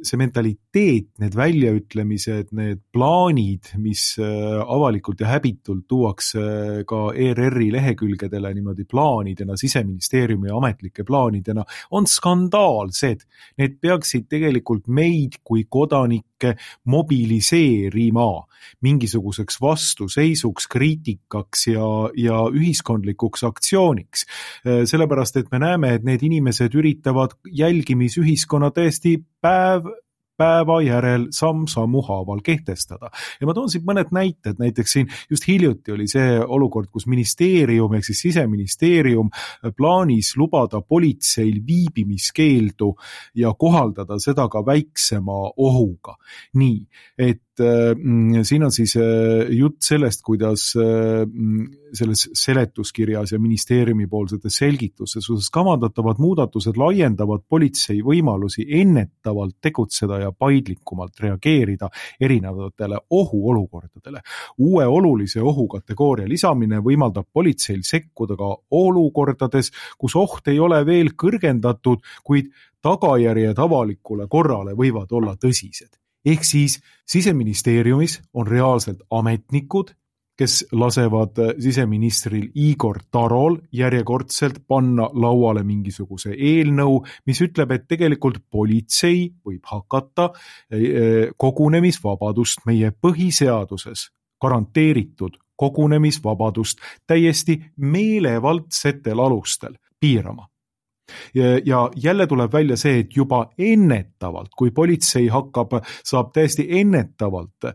see mentaliteet, need väljaütlemised, need plaanid, mis avalikult ja häbitult tuuakse ka E R R-i lehekülgedele niimoodi plaanidena, Siseministeeriumi ametlike plaanidena, on skandaalsed. Need peaksid tegelikult meid kui kodanikke mobiliseerima mingisuguseks vastuseisuks, kriitikaks ja, ja ühiskondlikuks aktsiooniks. Sellepärast, et me näeme, et need inimesed üritavad jälgimisühiskonna tõesti päev päeva järel samm-sammu haaval kehtestada. Ja ma toon siit mõned näited, näiteks siin just hiljuti oli see olukord, kus ministeerium, ehk siis Siseministeerium plaanis lubada politseil viibimiskeeldu ja kohaldada seda ka väiksema ohuga. Nii, et äh, siin on siis äh, jutt sellest, kuidas äh, selles seletuskirjas ja ministeeriumi poolsetes selgituses kavandatavad muudatused laiendavad politsei võimalusi ennetavalt tegutseda ja paindlikumalt reageerida erinevatele ohuolukordadele. Uue olulise ohukategooria lisamine võimaldab politseil sekkuda ka olukordades, kus oht ei ole veel kõrgendatud, kuid tagajärjed avalikule korrale võivad olla tõsised. Ehk siis Siseministeeriumis on reaalselt ametnikud, kes lasevad siseministril Igor Tarol järjekordselt panna lauale mingisuguse eelnõu, mis ütleb, et tegelikult politsei võib hakata kogunemisvabadust meie põhiseaduses garanteeritud kogunemisvabadust täiesti meelevaldsetel alustel piirama. Ja jälle tuleb välja see, et juba ennetavalt, kui politsei hakkab, saab täiesti ennetavalt äh,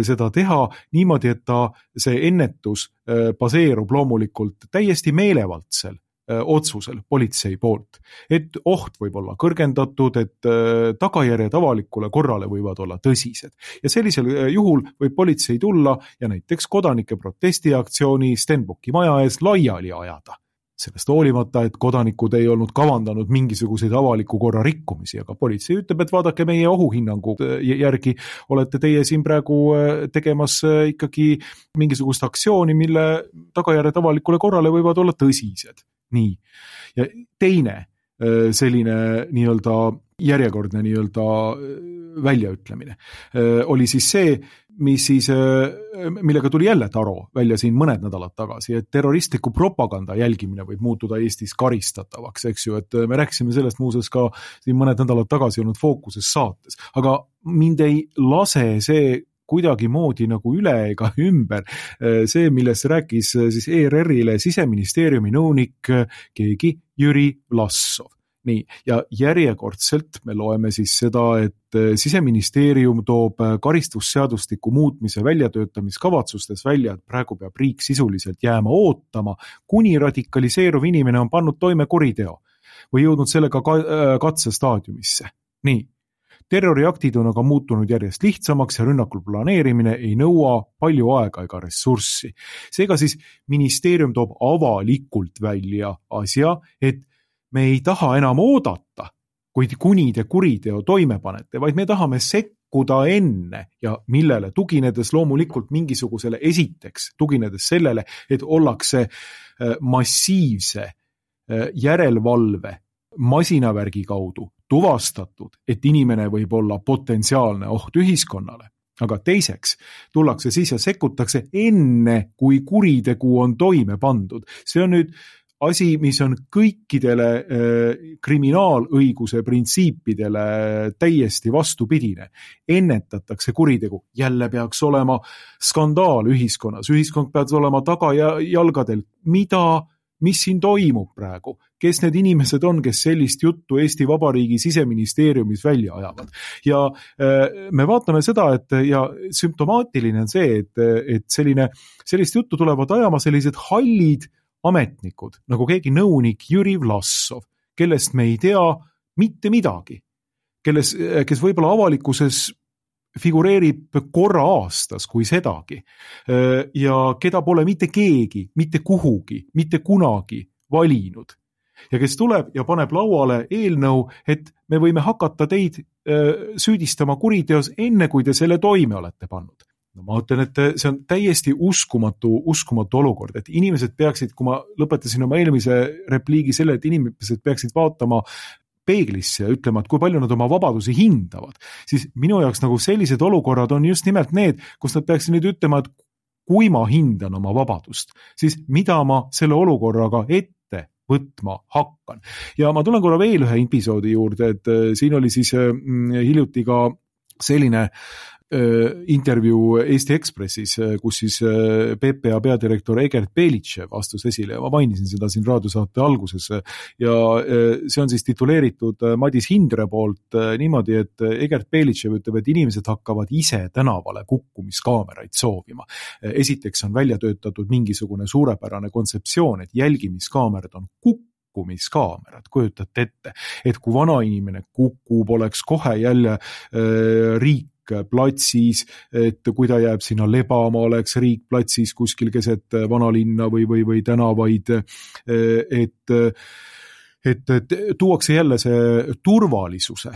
seda teha niimoodi, et ta, see ennetus äh, baseerub loomulikult täiesti meelevaldsel äh, otsusel politsei poolt. Et oht võib olla kõrgendatud, et äh, tagajärjed avalikule korrale võivad olla tõsised. Ja sellisel äh, juhul võib politsei tulla ja näiteks kodanike protestiaktsiooni Stenbocki maja ees laiali ajada. Sellest hoolimata, et kodanikud ei olnud kavandanud mingisuguseid avaliku korra rikkumisi, aga politsei ütleb, et vaadake meie ohuhinnangu järgi, olete teie siin praegu tegemas ikkagi mingisugust aktsiooni, mille tagajärjed avalikule korrale võivad olla tõsised. Nii. Ja teine selline nii-öelda järjekordne nii-öelda väljaütlemine oli siis see, mis siis, millega tuli jälle Taro välja siin mõned nädalad tagasi, et terroristliku propaganda jälgimine võib muutuda Eestis karistatavaks, eks ju, et me rääkisime sellest muuseas ka siin mõned nädalad tagasi olnud Fookuses saates, aga mind ei lase see kuidagi moodi nagu üle ega ümber. See, millest rääkis siis E R R-ile Siseministeeriumi nõunik keegi Jüri Vlassov. Nii, ja järjekordselt me loeme siis seda, et Siseministeerium toob karistusseadustiku muutmise väljatöötamiskavatsustes välja, et praegu peab riik sisuliselt jääma ootama, kuni radikaliseeruv inimene on pannud toime kuriteo või jõudnud sellega katsestaadiumisse. Nii, terroriaktid on aga muutunud järjest lihtsamaks ja rünnakul planeerimine ei nõua palju aega ega ressurssi. Seega siis ministeerium toob avalikult välja asja, et me ei taha enam oodata, kuid kuni te kuriteo toime panete, vaid me tahame sekkuda enne ja millele tuginedes loomulikult mingisugusele esiteks, tuginedes sellele, et ollakse massiivse järelevalve masinavärgi kaudu tuvastatud, et inimene võib olla potentsiaalne oht ühiskonnale. Aga teiseks tullakse siis ja sekkutakse enne, kui kuritegu on toime pandud. See on nüüd asi, mis on kõikidele äh, kriminaalõiguse printsiipidele täiesti vastupidine. Ennetatakse kuritegu. Jälle peaks olema skandaal ühiskonnas. Ühiskond peaks olema tagajalgadel. Mida, mis siin toimub praegu? Kes need inimesed on, kes sellist juttu Eesti Vabariigi Siseministeeriumis välja ajavad? Ja äh, me vaatame seda, et ja sümptomaatiline on see, et, et selline, sellist juttu tulevad ajama sellised hallid ametnikud, nagu keegi nõunik Jüri Vlassov, kellest me ei tea mitte midagi, kelles, kes võib-olla avalikkuses figureerib korra aastas kui sedagi ja keda pole mitte keegi, mitte kuhugi, mitte kunagi valinud ja kes tuleb ja paneb lauale eelnõu, et me võime hakata teid süüdistama kuriteos enne, kui te selle toime olete pannud. No ma ütlen, et see on täiesti uskumatu, uskumatu olukord, et inimesed peaksid, kui ma lõpetasin oma eelmise repliigi selle, et inimesed peaksid vaatama peeglisse ja ütlema, et kui palju nad oma vabadusi hindavad, siis minu jaoks nagu sellised olukorrad on just nimelt need, kus nad peaksid nüüd ütlema, et kui ma hindan oma vabadust, siis mida ma selle olukorraga ette võtma hakkan. Ja ma tulen korra veel ühe episoodi juurde, et siin oli siis hiljuti ka selline intervjuu Eesti Ekspressis, kus siis P P A peadirektor Egert Belitšev astus esile ja ma mainisin seda siin raadiosaate alguses ja see on siis tituleeritud Madis Hindre poolt niimoodi, et Egert Belitšev ütleb, et inimesed hakkavad ise tänavale kukkumiskaameraid soovima. Esiteks on välja töötatud mingisugune suurepärane kontseptsioon, et jälgimiskaamerad on kukkumiskaamerad, kujutate ette, et kui vana inimene kukub, oleks kohe jälle äh, riik platsis, et kui ta jääb sinna lebama, oleks riik platsis kuskil keset vanalinna või, või, või tänavaid, et, et, et tuuakse jälle see turvalisuse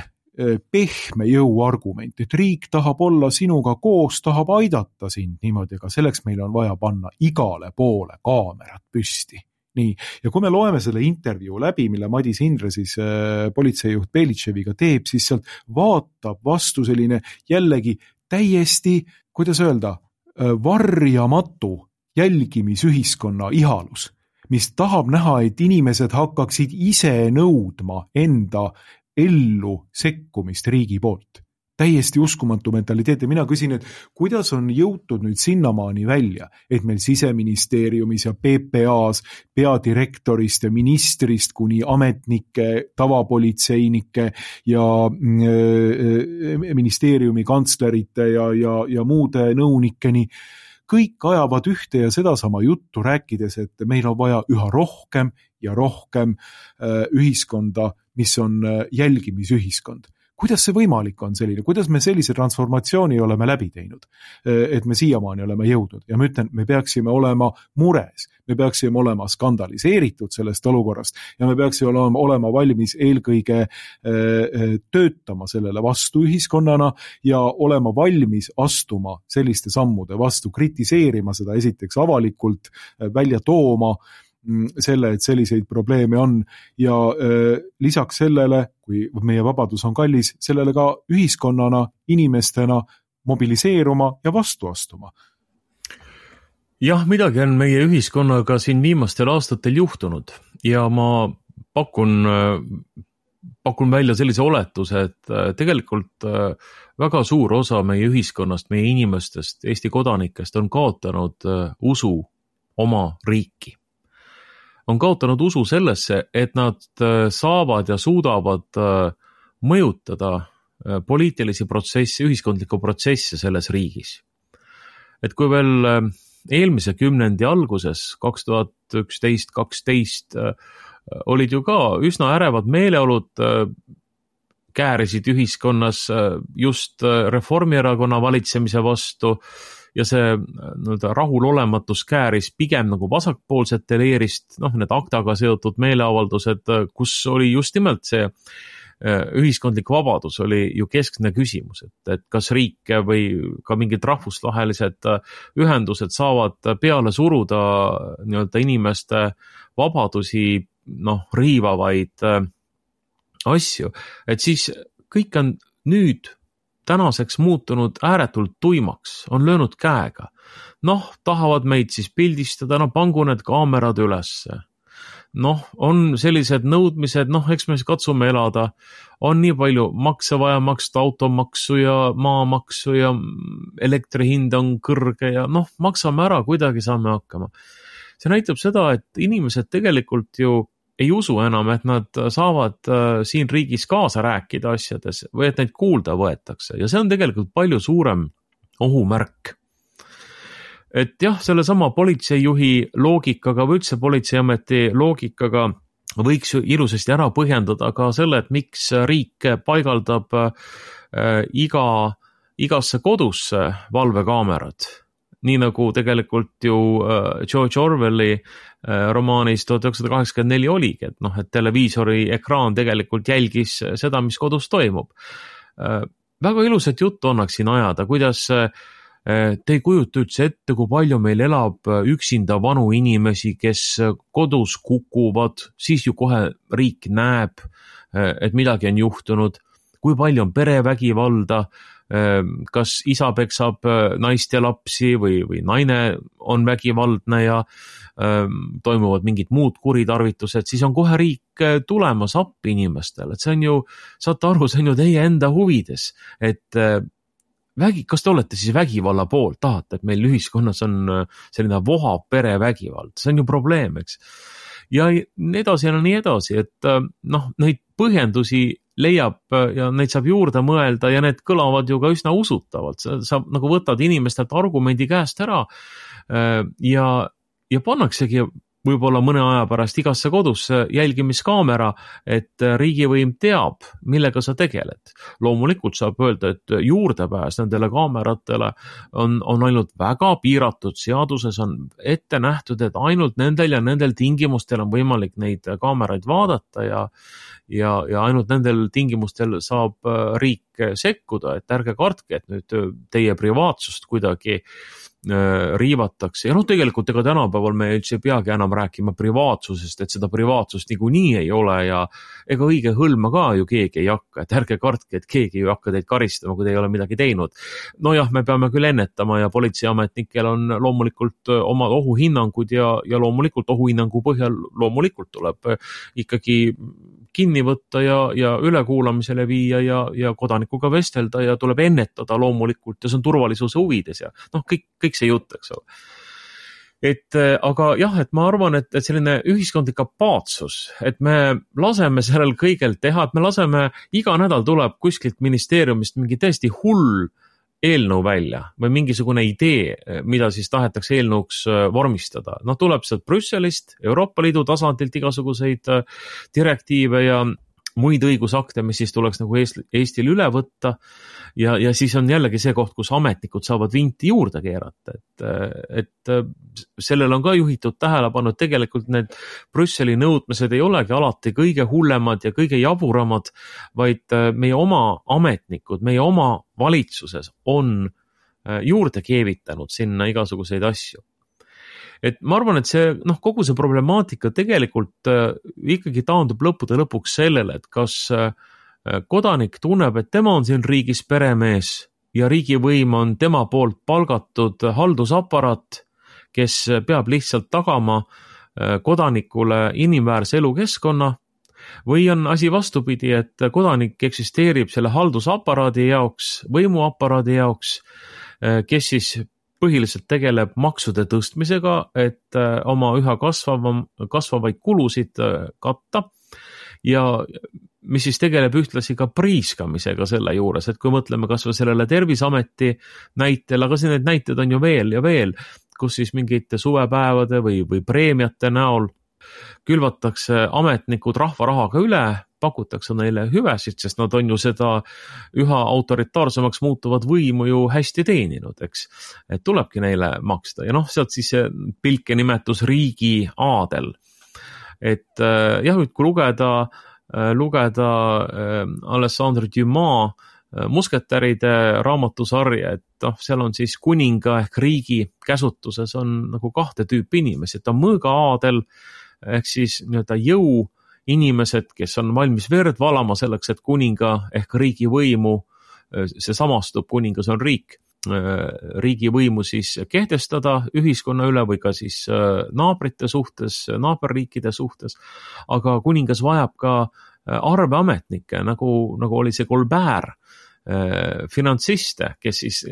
pehme jõu argument, et riik tahab olla sinuga koos, tahab aidata sind niimoodi, aga selleks meil on vaja panna igale poole kaamerad püsti. Nii, ja kui me loeme selle intervjuu läbi, mille Madis Hindre siis äh, politseijuht Belitševiga teeb, siis sealt vaatab vastu selline jällegi täiesti, kuidas öelda, äh, varjamatu jälgimisühiskonna ihalus, mis tahab näha, et inimesed hakkaksid ise nõudma enda ellu sekkumist riigi poolt. Täiesti uskumatu mentaliteet ja mina küsin, et kuidas on jõutud nüüd sinnamaani välja, et meil Siseministeeriumis ja P P A-s peadirektorist ja ministrist kuni ametnike, tavapolitseinike ja ministeeriumi kantslerite ja, ja, ja muude nõunikeni kõik ajavad ühte ja sedasama juttu rääkides, et meil on vaja üha rohkem ja rohkem ühiskonda, mis on jälgimisühiskond. Kuidas see võimalik on selline? Kuidas me sellise transformatsiooni oleme läbi teinud? Et me siiamaani oleme jõudnud. Ja ma ütlen, me peaksime olema mures. Me peaksime olema skandaliseeritud sellest olukorrast ja me peaksime olema, olema valmis eelkõige töötama sellele vastu ühiskonnana ja olema valmis astuma selliste sammude vastu, kritiseerima seda esiteks avalikult, välja tooma selle, et selliseid probleeme on ja äh, lisaks sellele, kui meie vabadus on kallis, sellele ka ühiskonnana, inimestena mobiliseeruma ja vastu astuma. Jah, midagi on meie ühiskonnaga siin viimastel aastatel juhtunud ja ma pakun, pakun välja sellise oletuse, et tegelikult väga suur osa meie ühiskonnast, meie inimestest, Eesti kodanikest on kaotanud usu oma riiki. On kaotanud usu sellesse, et nad saavad ja suudavad mõjutada poliitilisi protsesse, ühiskondlikku protsesse selles riigis. Et kui veel eelmise kümnendi alguses, kaks tuhat üksteist kaksteist, olid ju ka üsna ärevad meeleolud, käärisid ühiskonnas just Reformierakonna valitsemise vastu, ja see nii-öelda rahulolematus kääris pigem nagu vasakpoolsete leerist, noh, need aktaga seotud meeleavaldused, kus oli just nimelt see ühiskondlik vabadus oli ju keskne küsimus, et, et kas riik või ka mingid rahvusvahelised ühendused saavad peale suruda nii-öelda inimeste vabadusi, noh, riivavaid asju, et siis kõik on nüüd tänaseks muutunud ääretult tuimaks, on löönud käega. Noh, tahavad meid siis pildistada, no pangu need kaamerad ülesse. Noh, on sellised nõudmised, noh, eks me katsume elada. On nii palju makse vaja maksta, automaksu ja maamaksu ja elektrihind on kõrge ja noh, maksame ära, kuidagi saame hakkama. See näitab seda, et inimesed tegelikult ju ei usu enam, et nad saavad siin riigis kaasa rääkida asjades või et neid kuulda võetakse ja see on tegelikult palju suurem ohumärk. Et jah, selle sama politseijuhi loogikaga või üldse politseiameti loogikaga võiks ju ilusasti ära põhjendada ka selle, et miks riik paigaldab iga, igasse kodusse valvekaamerad. Nii nagu tegelikult ju George Orwelli romaanis tuhat üheksasada kaheksakümmend neli oligi, et noh, et televiisori ekraan tegelikult jälgis seda, mis kodus toimub. Väga ilusat juttu annaks siin ajada, kuidas te ei kujuta üldse ette, kui palju meil elab üksinda vanu inimesi, kes kodus kukuvad, siis ju kohe riik näeb, et midagi on juhtunud, kui palju on perevägivalda, kas isa peksab naist ja lapsi või, või naine on vägivaldne ja toimuvad mingid muud kuritarvitused, siis on kohe riik tulemas appi inimestele, et see on ju, saate aru, see on ju teie enda huvides, et vägi, kas te olete siis vägivalla poolt, tahate, et meil ühiskonnas on selline vohav perevägivald, see on ju probleem, eks. Ja nii edasi ja nii edasi, et noh, neid põhjendusi leiab ja neid saab juurde mõelda ja need kõlavad ju ka üsna usutavalt, sa nagu võtad inimestelt argumendi käest ära ja ja pannaksegi võib-olla mõne aja pärast igasse kodusse jälgimiskaamera, et riigivõim teab, millega sa tegeled. Loomulikult saab öelda, et juurdepääs nendele kaameratele on, on ainult väga piiratud, seaduses on ette nähtud, et ainult nendel ja nendel tingimustel on võimalik neid kaameraid vaadata ja, ja, ja ainult nendel tingimustel saab riik sekkuda, et ärge kartke, et nüüd teie privaatsust kuidagi riivatakse ja noh, tegelikult ega tänapäeval me üldse ei peagi enam rääkima privaatsusest, et seda privaatsust niikuinii ei ole ja ega õige hõlma ka ju keegi ei hakka, et ärge kartke, et keegi ju hakka teid karistama, kui te ei ole midagi teinud. No jah, me peame küll ennetama ja politseiametnikel on loomulikult omad ohuhinnangud ja, ja loomulikult ohuhinnangu põhjal loomulikult tuleb ikkagi kinni võtta ja, ja ülekuulamisele viia ja, ja kodanikuga vestelda ja tuleb ennetada loomulikult ja see on turvalisuse huvides ja noh, kõik, kõik see jutt, eks ole. Et aga jah, et ma arvan, et, et selline ühiskondlik apaatsus, et me laseme sellel kõigel teha, et me laseme, iga nädal tuleb kuskilt ministeeriumist mingi täiesti hull eelnõu välja või mingisugune idee, mida siis tahetakse eelnõuks vormistada. Noh, tuleb sealt Brüsselist, Euroopa Liidu tasandilt igasuguseid direktiive ja muid õigusakte, mis siis tuleks nagu Eestil üle võtta ja, ja siis on jällegi see koht, kus ametnikud saavad vinti juurde keerata, et, et sellel on ka juhitud tähelepanu, et tegelikult need Brüsseli nõudmised ei olegi alati kõige hullemad ja kõige jaburamad, vaid meie oma ametnikud, meie oma valitsuses on juurde keevitanud sinna igasuguseid asju. Et ma arvan, et see, noh, kogu see problemaatika tegelikult äh, ikkagi taandub lõppude lõpuks sellele, et kas äh, kodanik tunneb, et tema on siin riigis peremees ja riigivõim on tema poolt palgatud haldusaparaat, kes peab lihtsalt tagama äh, kodanikule inimväärse elukeskkonna, või on asi vastupidi, et kodanik eksisteerib selle haldusaparaadi jaoks, võimuaparaadi jaoks, äh, kes siis põhiliselt tegeleb maksude tõstmisega, et oma üha kasvavam, kasvavaid kulusid katta ja mis siis tegeleb ühtlasi ka priiskamisega selle juures, et kui mõtleme kas või sellele Terviseameti näitel, aga see need näited on ju veel ja veel, kus siis mingite suvepäevade või, või preemiate näol külvatakse ametnikud rahva rahaga üle, pakutakse neile hüvesid, sest nad on ju seda üha autoritaarsemaks muutuvad võimu ju hästi teeninud, eks. Et tulebki neile maksta ja noh, sealt siis see pilke nimetus riigi aadel. Et jah, kui lugeda, lugeda Alessandre Dumas musketäride raamatusarja, et noh, seal on siis kuninga ehk riigi käsutuses on nagu kahte tüüpi inimesi, et on mõõga aadel ehk siis nii-öelda jõu inimesed, kes on valmis verd valama selleks, et kuninga ehk riigi võimu, see samastub, kuningas on riik, riigi võimu siis kehtestada ühiskonna üle või ka siis naabrite suhtes, naaberriikide suhtes, aga kuningas vajab ka arveametnikke, nagu, nagu oli see Colbert, finantsiste, kes siis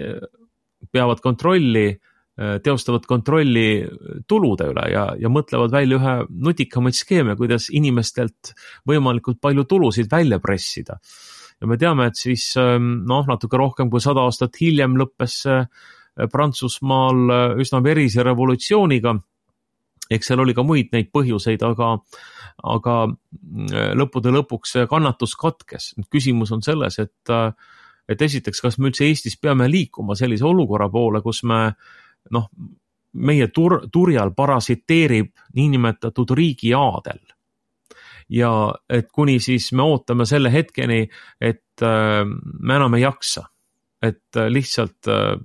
peavad kontrolli teostavad kontrolli tulude üle ja, ja mõtlevad välja ühe nutikamaid skeeme, kuidas inimestelt võimalikult palju tulusid välja pressida. Ja me teame, et siis noh, natuke rohkem kui sada aastat hiljem lõppes Prantsusmaal üsna verise revolutsiooniga. Eks seal oli ka muid neid põhjuseid, aga, aga lõppude lõpuks kannatus katkes. Küsimus on selles, et, et esiteks, kas me üldse Eestis peame liikuma sellise olukorra poole, kus me noh, meie tur, turjal parasiteerib niinimetatud riigi aadel. Ja et kuni siis me ootame selle hetkeni, et äh, me enam ei jaksa, et äh, lihtsalt äh,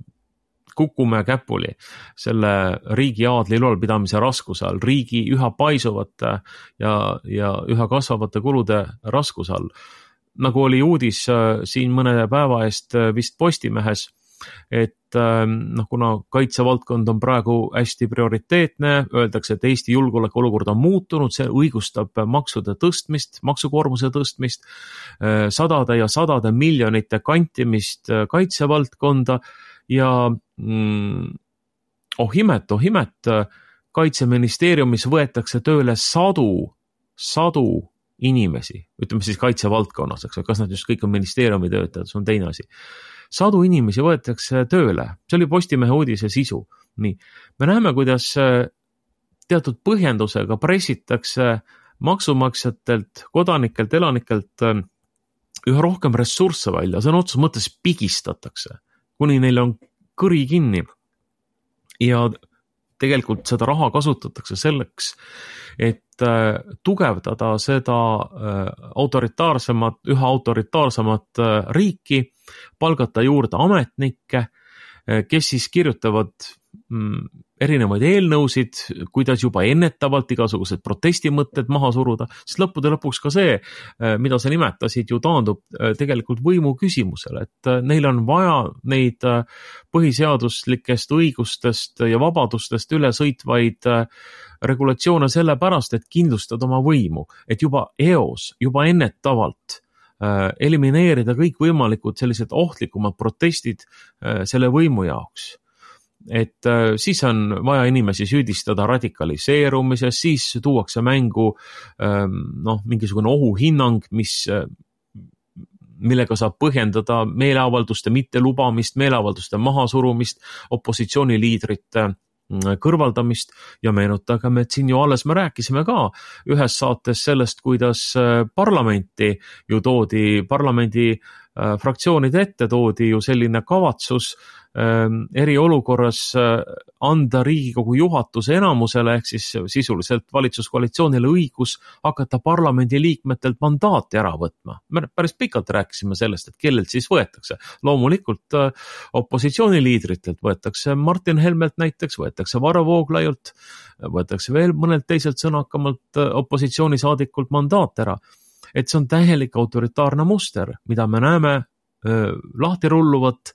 kukume käpuli selle riigi aadli ülalpidamise raskuse all, riigi üha paisuvate ja, ja üha kasvavate kulude raskuse all. nagu oli uudis siin mõne päeva eest vist Postimehes, et noh, kuna kaitsevaldkond on praegu hästi prioriteetne, öeldakse, et Eesti julgeolekuolukord on muutunud, see õigustab maksude tõstmist, maksukoormuse tõstmist, sadade ja sadade miljonite kantimist kaitsevaldkonda ja mm, oh imet, oh imet, Kaitseministeeriumis võetakse tööle sadu, sadu inimesi, ütleme siis kaitsevaldkonnas, eks, kas nad just kõik on ministeeriumi töötajad, see on teine asi. Sadu inimesi võetakse tööle, see oli Postimehe uudise sisu. Nii, me näeme, kuidas teatud põhjendusega pressitakse maksumaksjatelt, kodanikelt, elanikelt üha rohkem ressursse välja, see on otsus mõttes pigistatakse, kuni neil on kõri kinni ja tegelikult seda raha kasutatakse selleks, et tugevdada seda autoritaarsemat, üha autoritaarsemat riiki, palgata juurde ametnikke, kes siis kirjutavad erinevaid eelnõusid, kuidas juba ennetavalt igasugused protestimõtted maha suruda, sest lõppude lõpuks ka see, mida sa nimetasid, ju taandub tegelikult võimu küsimusele, et neil on vaja neid põhiseaduslikest õigustest ja vabadustest üle sõitvaid regulatsioone sellepärast, et kindlustada oma võimu, et juba eos, juba ennetavalt elimineerida kõik võimalikud sellised ohtlikumad protestid selle võimu jaoks. Et siis on vaja inimesi süüdistada radikaliseerumises, siis tuuakse mängu noh, mingisugune ohuhinnang, mis, millega saab põhjendada meeleavalduste mittelubamist, meeleavalduste mahasurumist, opositsiooniliidrite kõrvaldamist ja meenutagem, et siin ju alles me rääkisime ka ühes saates sellest, kuidas parlamenti ju toodi, parlamendi fraktsioonide ette toodi ju selline kavatsus eriolukorras anda Riigikogu juhatuse enamusele ehk siis sisuliselt valitsuskoalitsioonile õigus hakata parlamendi liikmetelt mandaati ära võtma. Me päris pikalt rääkisime sellest, et kellelt siis võetakse. Loomulikult opositsiooniliidritelt võetakse Martin Helmelt näiteks, võetakse Varro Vooglaiult, võetakse veel mõnelt teiselt sõnakamalt opositsioonisaadikult mandaat ära. Et see on täielik autoritaarne muster, mida me näeme öö, lahti rulluvat.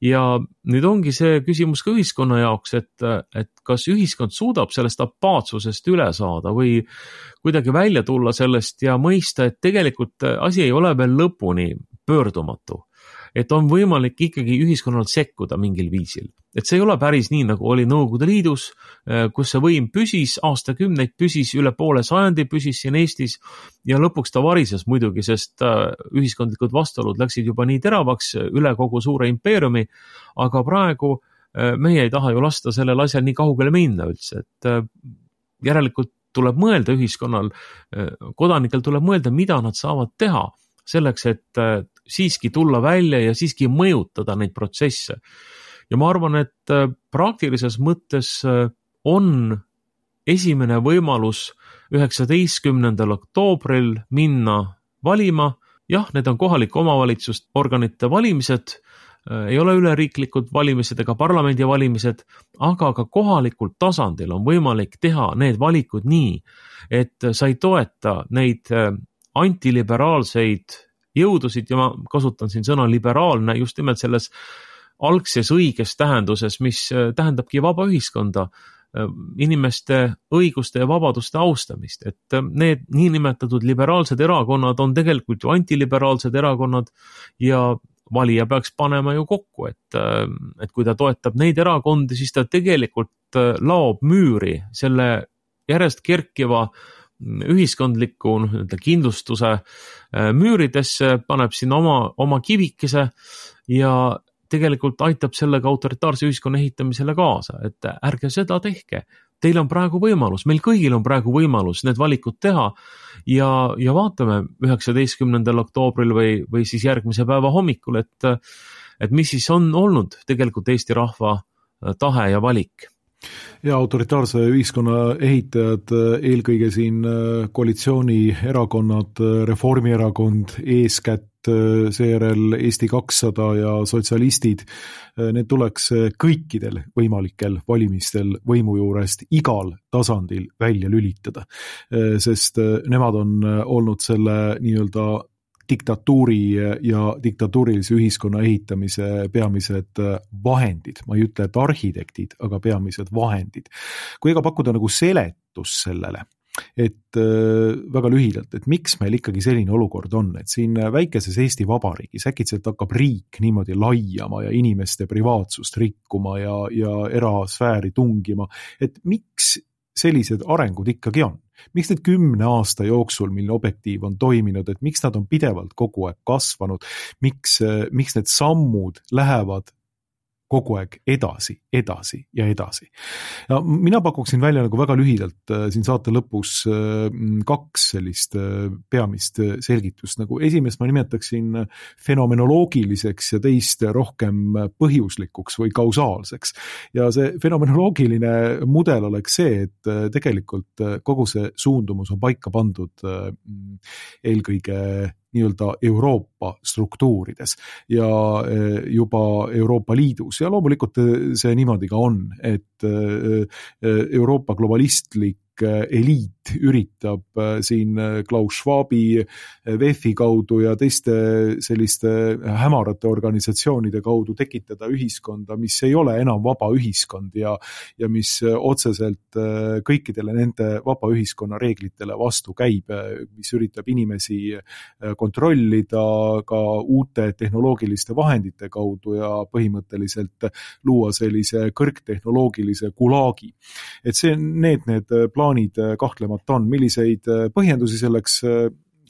Ja nüüd ongi see küsimus ka ühiskonna jaoks, et, et kas ühiskond suudab sellest apaatsusest üle saada või kuidagi välja tulla sellest ja mõista, et tegelikult asi ei ole veel lõpuni pöördumatu. Et on võimalik ikkagi ühiskonnal sekkuda mingil viisil. Et see ei ole päris nii, nagu oli Nõukogude Liidus, kus see võim püsis, aastakümneid püsis, üle poole sajandi püsis siin Eestis ja lõpuks ta varises muidugi, sest ühiskondlikud vastuolud läksid juba nii teravaks üle kogu suure impeeriumi, aga praegu meie ei taha ju lasta sellel asjal nii kaugele minna üldse, et järelikult tuleb mõelda ühiskonnal, kodanikel tuleb mõelda, mida nad saavad teha selleks, et siiski tulla välja ja siiski mõjutada neid protsesse. Ja ma arvan, et praktilises mõttes on esimene võimalus üheksateistkümnendal oktoobril minna valima. Jah, need on kohalike omavalitsusorganite valimised, ei ole üleriiklikud valimised ega parlamendi valimised, aga ka kohalikul tasandil on võimalik teha need valikud nii, et sa ei toeta neid antiliberaalseid jõudusid ja ma kasutan siin sõna liberaalne just nimelt selles algses õiges tähenduses, mis tähendabki vaba ühiskonda, inimeste õiguste ja vabaduste austamist, et need niinimetatud liberaalsed erakonnad on tegelikult ju antiliberaalsed erakonnad ja valija peaks panema ju kokku, et, et kui ta toetab neid erakondi, siis ta tegelikult laob müüri selle järjest kerkiva ühiskondliku kindlustuse müüridesse, paneb sinna oma, oma kivikese ja tegelikult aitab sellega autoritaarse ühiskonna ehitamisele kaasa, et ärge seda tehke. Teil on praegu võimalus, meil kõigil on praegu võimalus need valikud teha ja, ja vaatame üheksateistkümnendal oktoobril või, või siis järgmise päeva hommikul, et, et mis siis on olnud tegelikult Eesti rahva tahe ja valik. Ja autoritaarse ühiskonna ehitajad, eelkõige siin koalitsioonierakonnad, Reformierakond, eeskätt seejärel Eesti kakssada ja sotsialistid, need tuleks kõikidel võimalikel valimistel võimu juurest igal tasandil välja lülitada, sest nemad on olnud selle nii-öelda diktatuuri ja diktatuurilise ühiskonna ehitamise peamised vahendid. Ma ei ütle, et arhitektid, aga peamised vahendid. Kui ega pakkuda nagu seletus sellele, et väga lühidalt, et miks meil ikkagi selline olukord on, et siin väikeses Eesti Vabariigis äkitselt hakkab riik niimoodi laiama ja inimeste privaatsust rikkuma ja, ja erasfääri tungima, et miks sellised arengud ikkagi on? Miks need kümne aasta jooksul, mil Objektiiv on toiminud, et miks nad on pidevalt kogu aeg kasvanud, miks, miks need sammud lähevad kogu aeg edasi, edasi ja edasi. Ja mina pakuksin välja nagu väga lühidalt siin saate lõpus kaks sellist peamist selgitust. Nagu esimest ma nimetaksin fenomenoloogiliseks ja teist rohkem põhjuslikuks või kausaalseks. Ja see fenomenoloogiline mudel oleks see, et tegelikult kogu see suundumus on paika pandud eelkõige nii-öelda Euroopa struktuurides ja juba Euroopa Liidus ja loomulikult see niimoodi ka on, et Euroopa globalistlik eliit üritab siin Klaus Schwabi, W E F-i kaudu ja teiste selliste hämarate organisatsioonide kaudu tekitada ühiskonda, mis ei ole enam vaba ühiskond ja, ja mis otseselt kõikidele nende vaba ühiskonna reeglitele vastu käib, mis üritab inimesi kontrollida ka uute tehnoloogiliste vahendite kaudu ja põhimõtteliselt luua sellise kõrgtehnoloogilise gulaagi. Et see, need, need plaanid kahtlemata on, milliseid põhjendusi selleks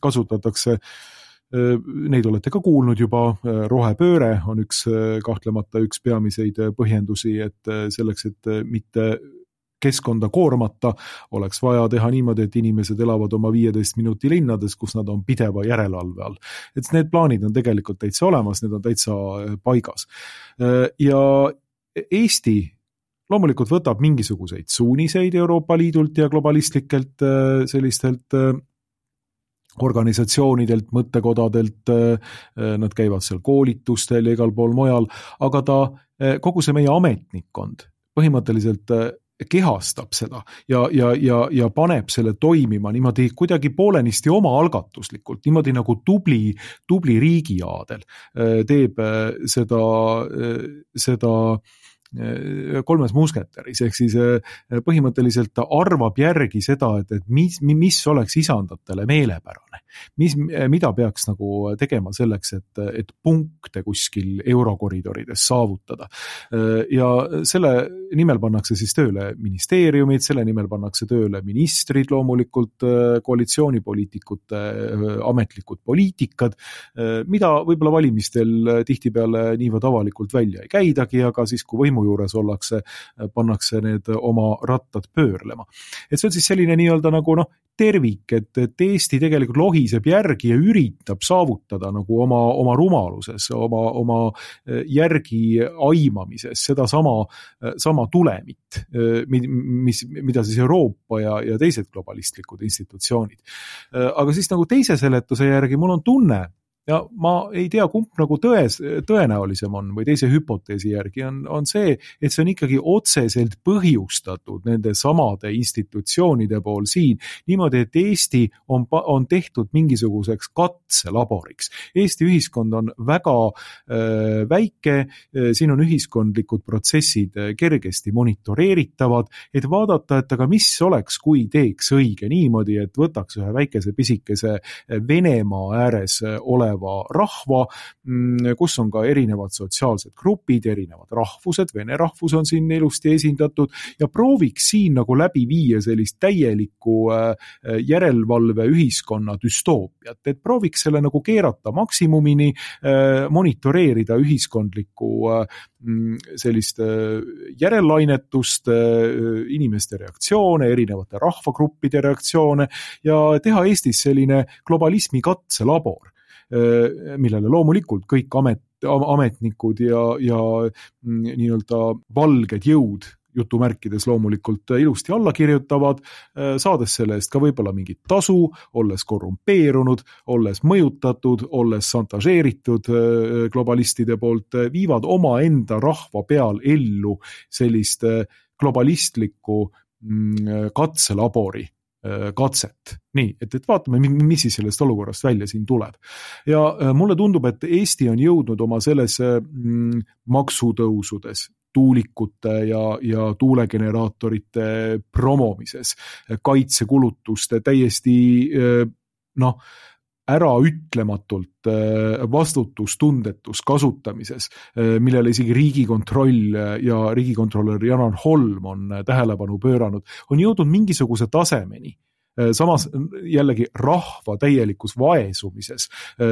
kasutatakse. Neid olete ka kuulnud juba, rohepööre on üks kahtlemata üks peamiseid põhjendusi, et selleks, et mitte keskkonda koormata, oleks vaja teha niimoodi, et inimesed elavad oma viieteist minuti linnades, kus nad on pideva järelevalve all. Et need plaanid on tegelikult täitsa olemas, need on täitsa paigas. Ja Eesti loomulikult võtab mingisuguseid suuniseid Euroopa Liidult ja globalistlikelt sellistelt organisatsioonidelt, mõttekodadelt, nad käivad seal koolitustel ja igal pool mujal, aga ta, kogu see meie ametnikkond põhimõtteliselt kehastab seda ja, ja, ja, ja paneb selle toimima niimoodi kuidagi poolenisti oma algatuslikult, niimoodi nagu tubli, tubli riigiaadel teeb seda, seda kolmes musketäris, ehk siis põhimõtteliselt ta arvab järgi seda, et, et mis, mis oleks isandatele meelepärane, mis, mida peaks nagu tegema selleks, et, et punkte kuskil eurokoridorides saavutada. Ja selle nimel pannakse siis tööle ministeeriumid, selle nimel pannakse tööle ministrid, loomulikult koalitsioonipoliitikute ametlikud poliitikad, mida võib-olla valimistel tihtipeale niivõrd avalikult välja ei käidagi, aga siis kui võimu juures ollakse, pannakse need oma rattad pöörlema. Et see on siis selline nii-öelda nagu noh, tervik, et, et Eesti tegelikult lohiseb järgi ja üritab saavutada nagu oma, oma rumaluses, oma, oma järgi aimamises seda sama, sama tulemit, mis, mida siis Euroopa ja, ja teised globalistlikud institutsioonid. Aga siis nagu teise seletuse järgi mul on tunne, ja ma ei tea, kumb nagu tões, tõenäolisem on või teise hüpoteesi järgi on, on see, et see on ikkagi otseselt põhjustatud nende samade institutsioonide pool siin, niimoodi, et Eesti on, on tehtud mingisuguseks katselaboriks. Eesti ühiskond on väga äh, väike, siin on ühiskondlikud protsessid kergesti monitoreeritavad, et vaadata, et aga mis oleks, kui teeks õige niimoodi, et võtaks ühe väikese pisikese Venemaa ääres ole rahva, kus on ka erinevad sotsiaalsed grupid, erinevad rahvused, vene rahvus on siin ilusti esindatud ja prooviks siin nagu läbi viia sellist täielikku järelevalve ühiskonna düstoopiat, et prooviks selle nagu keerata maksimumini, monitoreerida ühiskondlikku sellist järellainetust, inimeste reaktsioone, erinevate rahvagruppide reaktsioone ja teha Eestis selline globalismi katselabor, millele loomulikult kõik amet, ametnikud ja, ja nii-öelda valged jõud jutumärkides loomulikult ilusti alla kirjutavad, saades selle eest ka võib-olla mingit tasu, olles korrumpeerunud, olles mõjutatud, olles santažeeritud globalistide poolt, viivad oma enda rahva peal ellu sellist globalistlikku katselabori katset. Nii, et, et vaatame, mis siis sellest olukorrast välja siin tuleb. Ja mulle tundub, et Eesti on jõudnud oma selles mm, maksutõusudes, tuulikute ja, ja tuulegeneraatorite promomises, kaitsekulutuste täiesti noh, ära ütlematult vastutustundetus kasutamises, millele isegi Riigikontroll ja riigikontrolör Janar Holm on tähelepanu pööranud, on jõudnud mingisuguse tasemeni. Samas jällegi rahva täielikus vaesumises,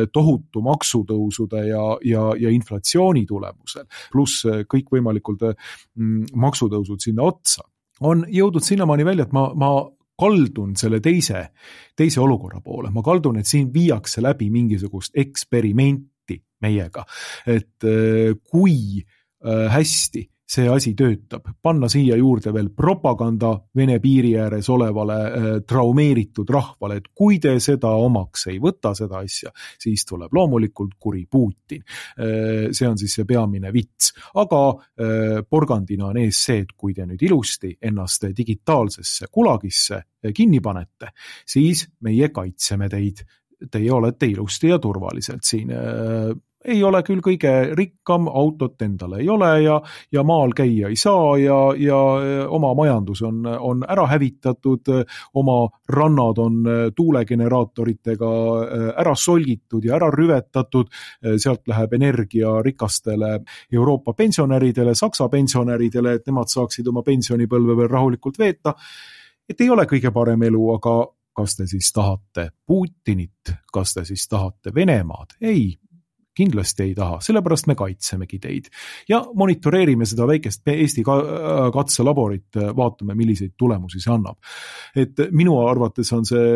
tohutu maksutõusude ja, ja, ja inflatsiooni tulemusel, pluss kõikvõimalikud maksutõusud sinna otsa, on jõudnud sinnamaani välja, et ma, ma kaldun selle teise, teise olukorra poole. Ma kaldun, et siin viiakse läbi mingisugust eksperimenti meiega, et kui hästi see asi töötab, panna siia juurde veel propaganda Vene piiri ääres olevale traumeeritud rahvale, et kui te seda omaks ei võta seda asja, siis tuleb loomulikult kuri Putin. See on siis see peamine vits. Aga porgandina on ees see, et kui te nüüd ilusti ennast digitaalsesse kulagisse kinni panete, siis meie kaitseme teid. Teie olete ilusti ja turvaliselt siin. Ei ole küll kõige rikkam, autot endale ei ole ja, ja maal käia ei saa ja, ja oma majandus on, on ära hävitatud, oma rannad on tuulegeneraatoritega ära solgitud ja ära rüvetatud, sealt läheb energia rikastele Euroopa pensionäridele, Saksa pensionäridele, et nemad saaksid oma pensionipõlve veel rahulikult veeta, et ei ole kõige parem elu, aga kas te siis tahate Putinit, kas te siis tahate Venemaad? Ei. Kindlasti ei taha, sellepärast me kaitsemegi teid. Ja monitoreerime seda väikest Eesti katselaborit, vaatame, milliseid tulemusi see annab. Et minu arvates on see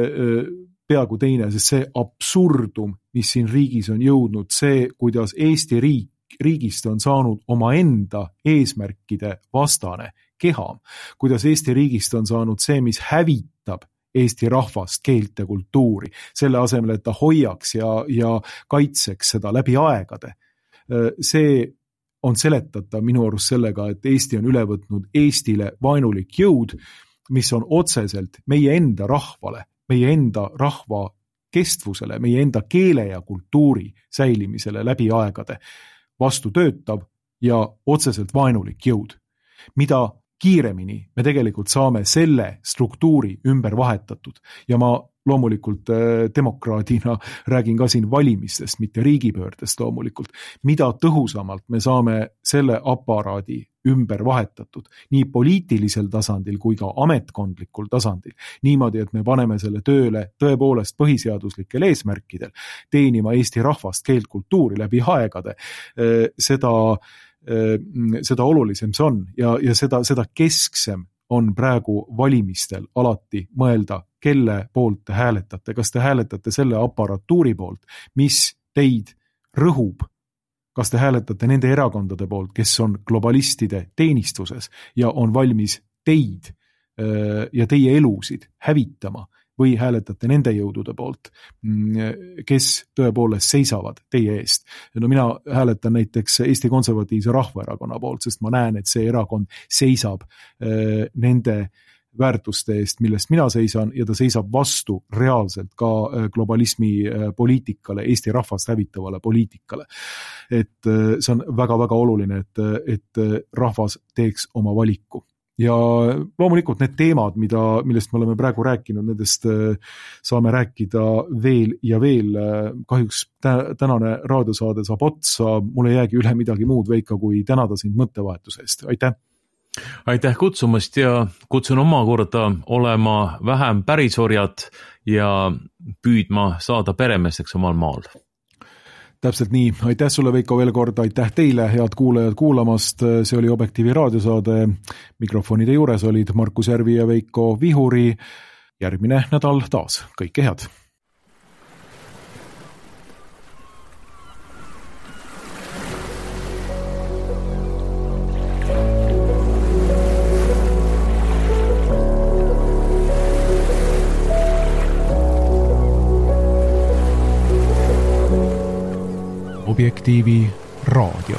peaaegu teine, sest see absurdum, mis siin riigis on jõudnud, see, kuidas Eesti riik, riigist on saanud oma enda eesmärkide vastane keham, kuidas Eesti riigist on saanud see, mis hävitab Eesti rahvast, keelt ja kultuuri, selle asemel, et ta hoiaks ja, ja kaitseks seda läbi aegade. See on seletatav minu arust sellega, et Eesti on üle võtnud Eestile vaenulik jõud, mis on otseselt meie enda rahvale, meie enda rahva kestvusele, meie enda keele ja kultuuri säilimisele läbi aegade vastu töötav ja otseselt vaenulik jõud, mida kiiremini me tegelikult saame selle struktuuri ümber vahetatud ja ma loomulikult demokraadina räägin ka siin valimistest, mitte riigipöördest loomulikult, mida tõhusamalt me saame selle aparaadi ümber vahetatud, nii poliitilisel tasandil kui ka ametkondlikul tasandil, niimoodi, et me paneme selle tööle tõepoolest põhiseaduslikel eesmärkidel, teenima Eesti rahvast, keelt, kultuuri läbi aegade, seda seda olulisem see on ja, ja seda, seda kesksem on praegu valimistel alati mõelda, kelle poolt te hääletate. Kas te hääletate selle aparatuuri poolt, mis teid rõhub? Kas te hääletate nende erakondade poolt, kes on globalistide teenistuses ja on valmis teid ja teie elusid hävitama? Või hääletate nende jõudude poolt, kes tõepoolest seisavad teie eest. No mina hääletan näiteks Eesti Konservatiivse Rahvaerakonna poolt, sest ma näen, et see erakond seisab nende väärtuste eest, millest mina seisan ja ta seisab vastu reaalselt ka globalismi poliitikale, Eesti rahvast hävitavale poliitikale. Et see on väga-väga oluline, et, et rahvas teeks oma valiku. Ja loomulikult need teemad, mida, millest me oleme praegu rääkinud, nendest saame rääkida veel ja veel. Kahjuks tänane raadiosaade saab otsa, mul ei jäägi üle midagi muud, Veiko, kui tänada sind mõttevahetuse eest. Aitäh! Aitäh kutsumast ja kutsun omakorda olema vähem pärisorjad ja püüdma saada peremeesteks omal maal. Täpselt nii. Aitäh sulle, Veiko, veel kord. Aitäh teile, head kuulajad kuulamast. See oli Objektiivi raadiosaade. Mikrofonide juures olid Markus Järvi ja Veiko Vihuri. Järgmine nädal taas. Kõike head! Objektiivi raadio.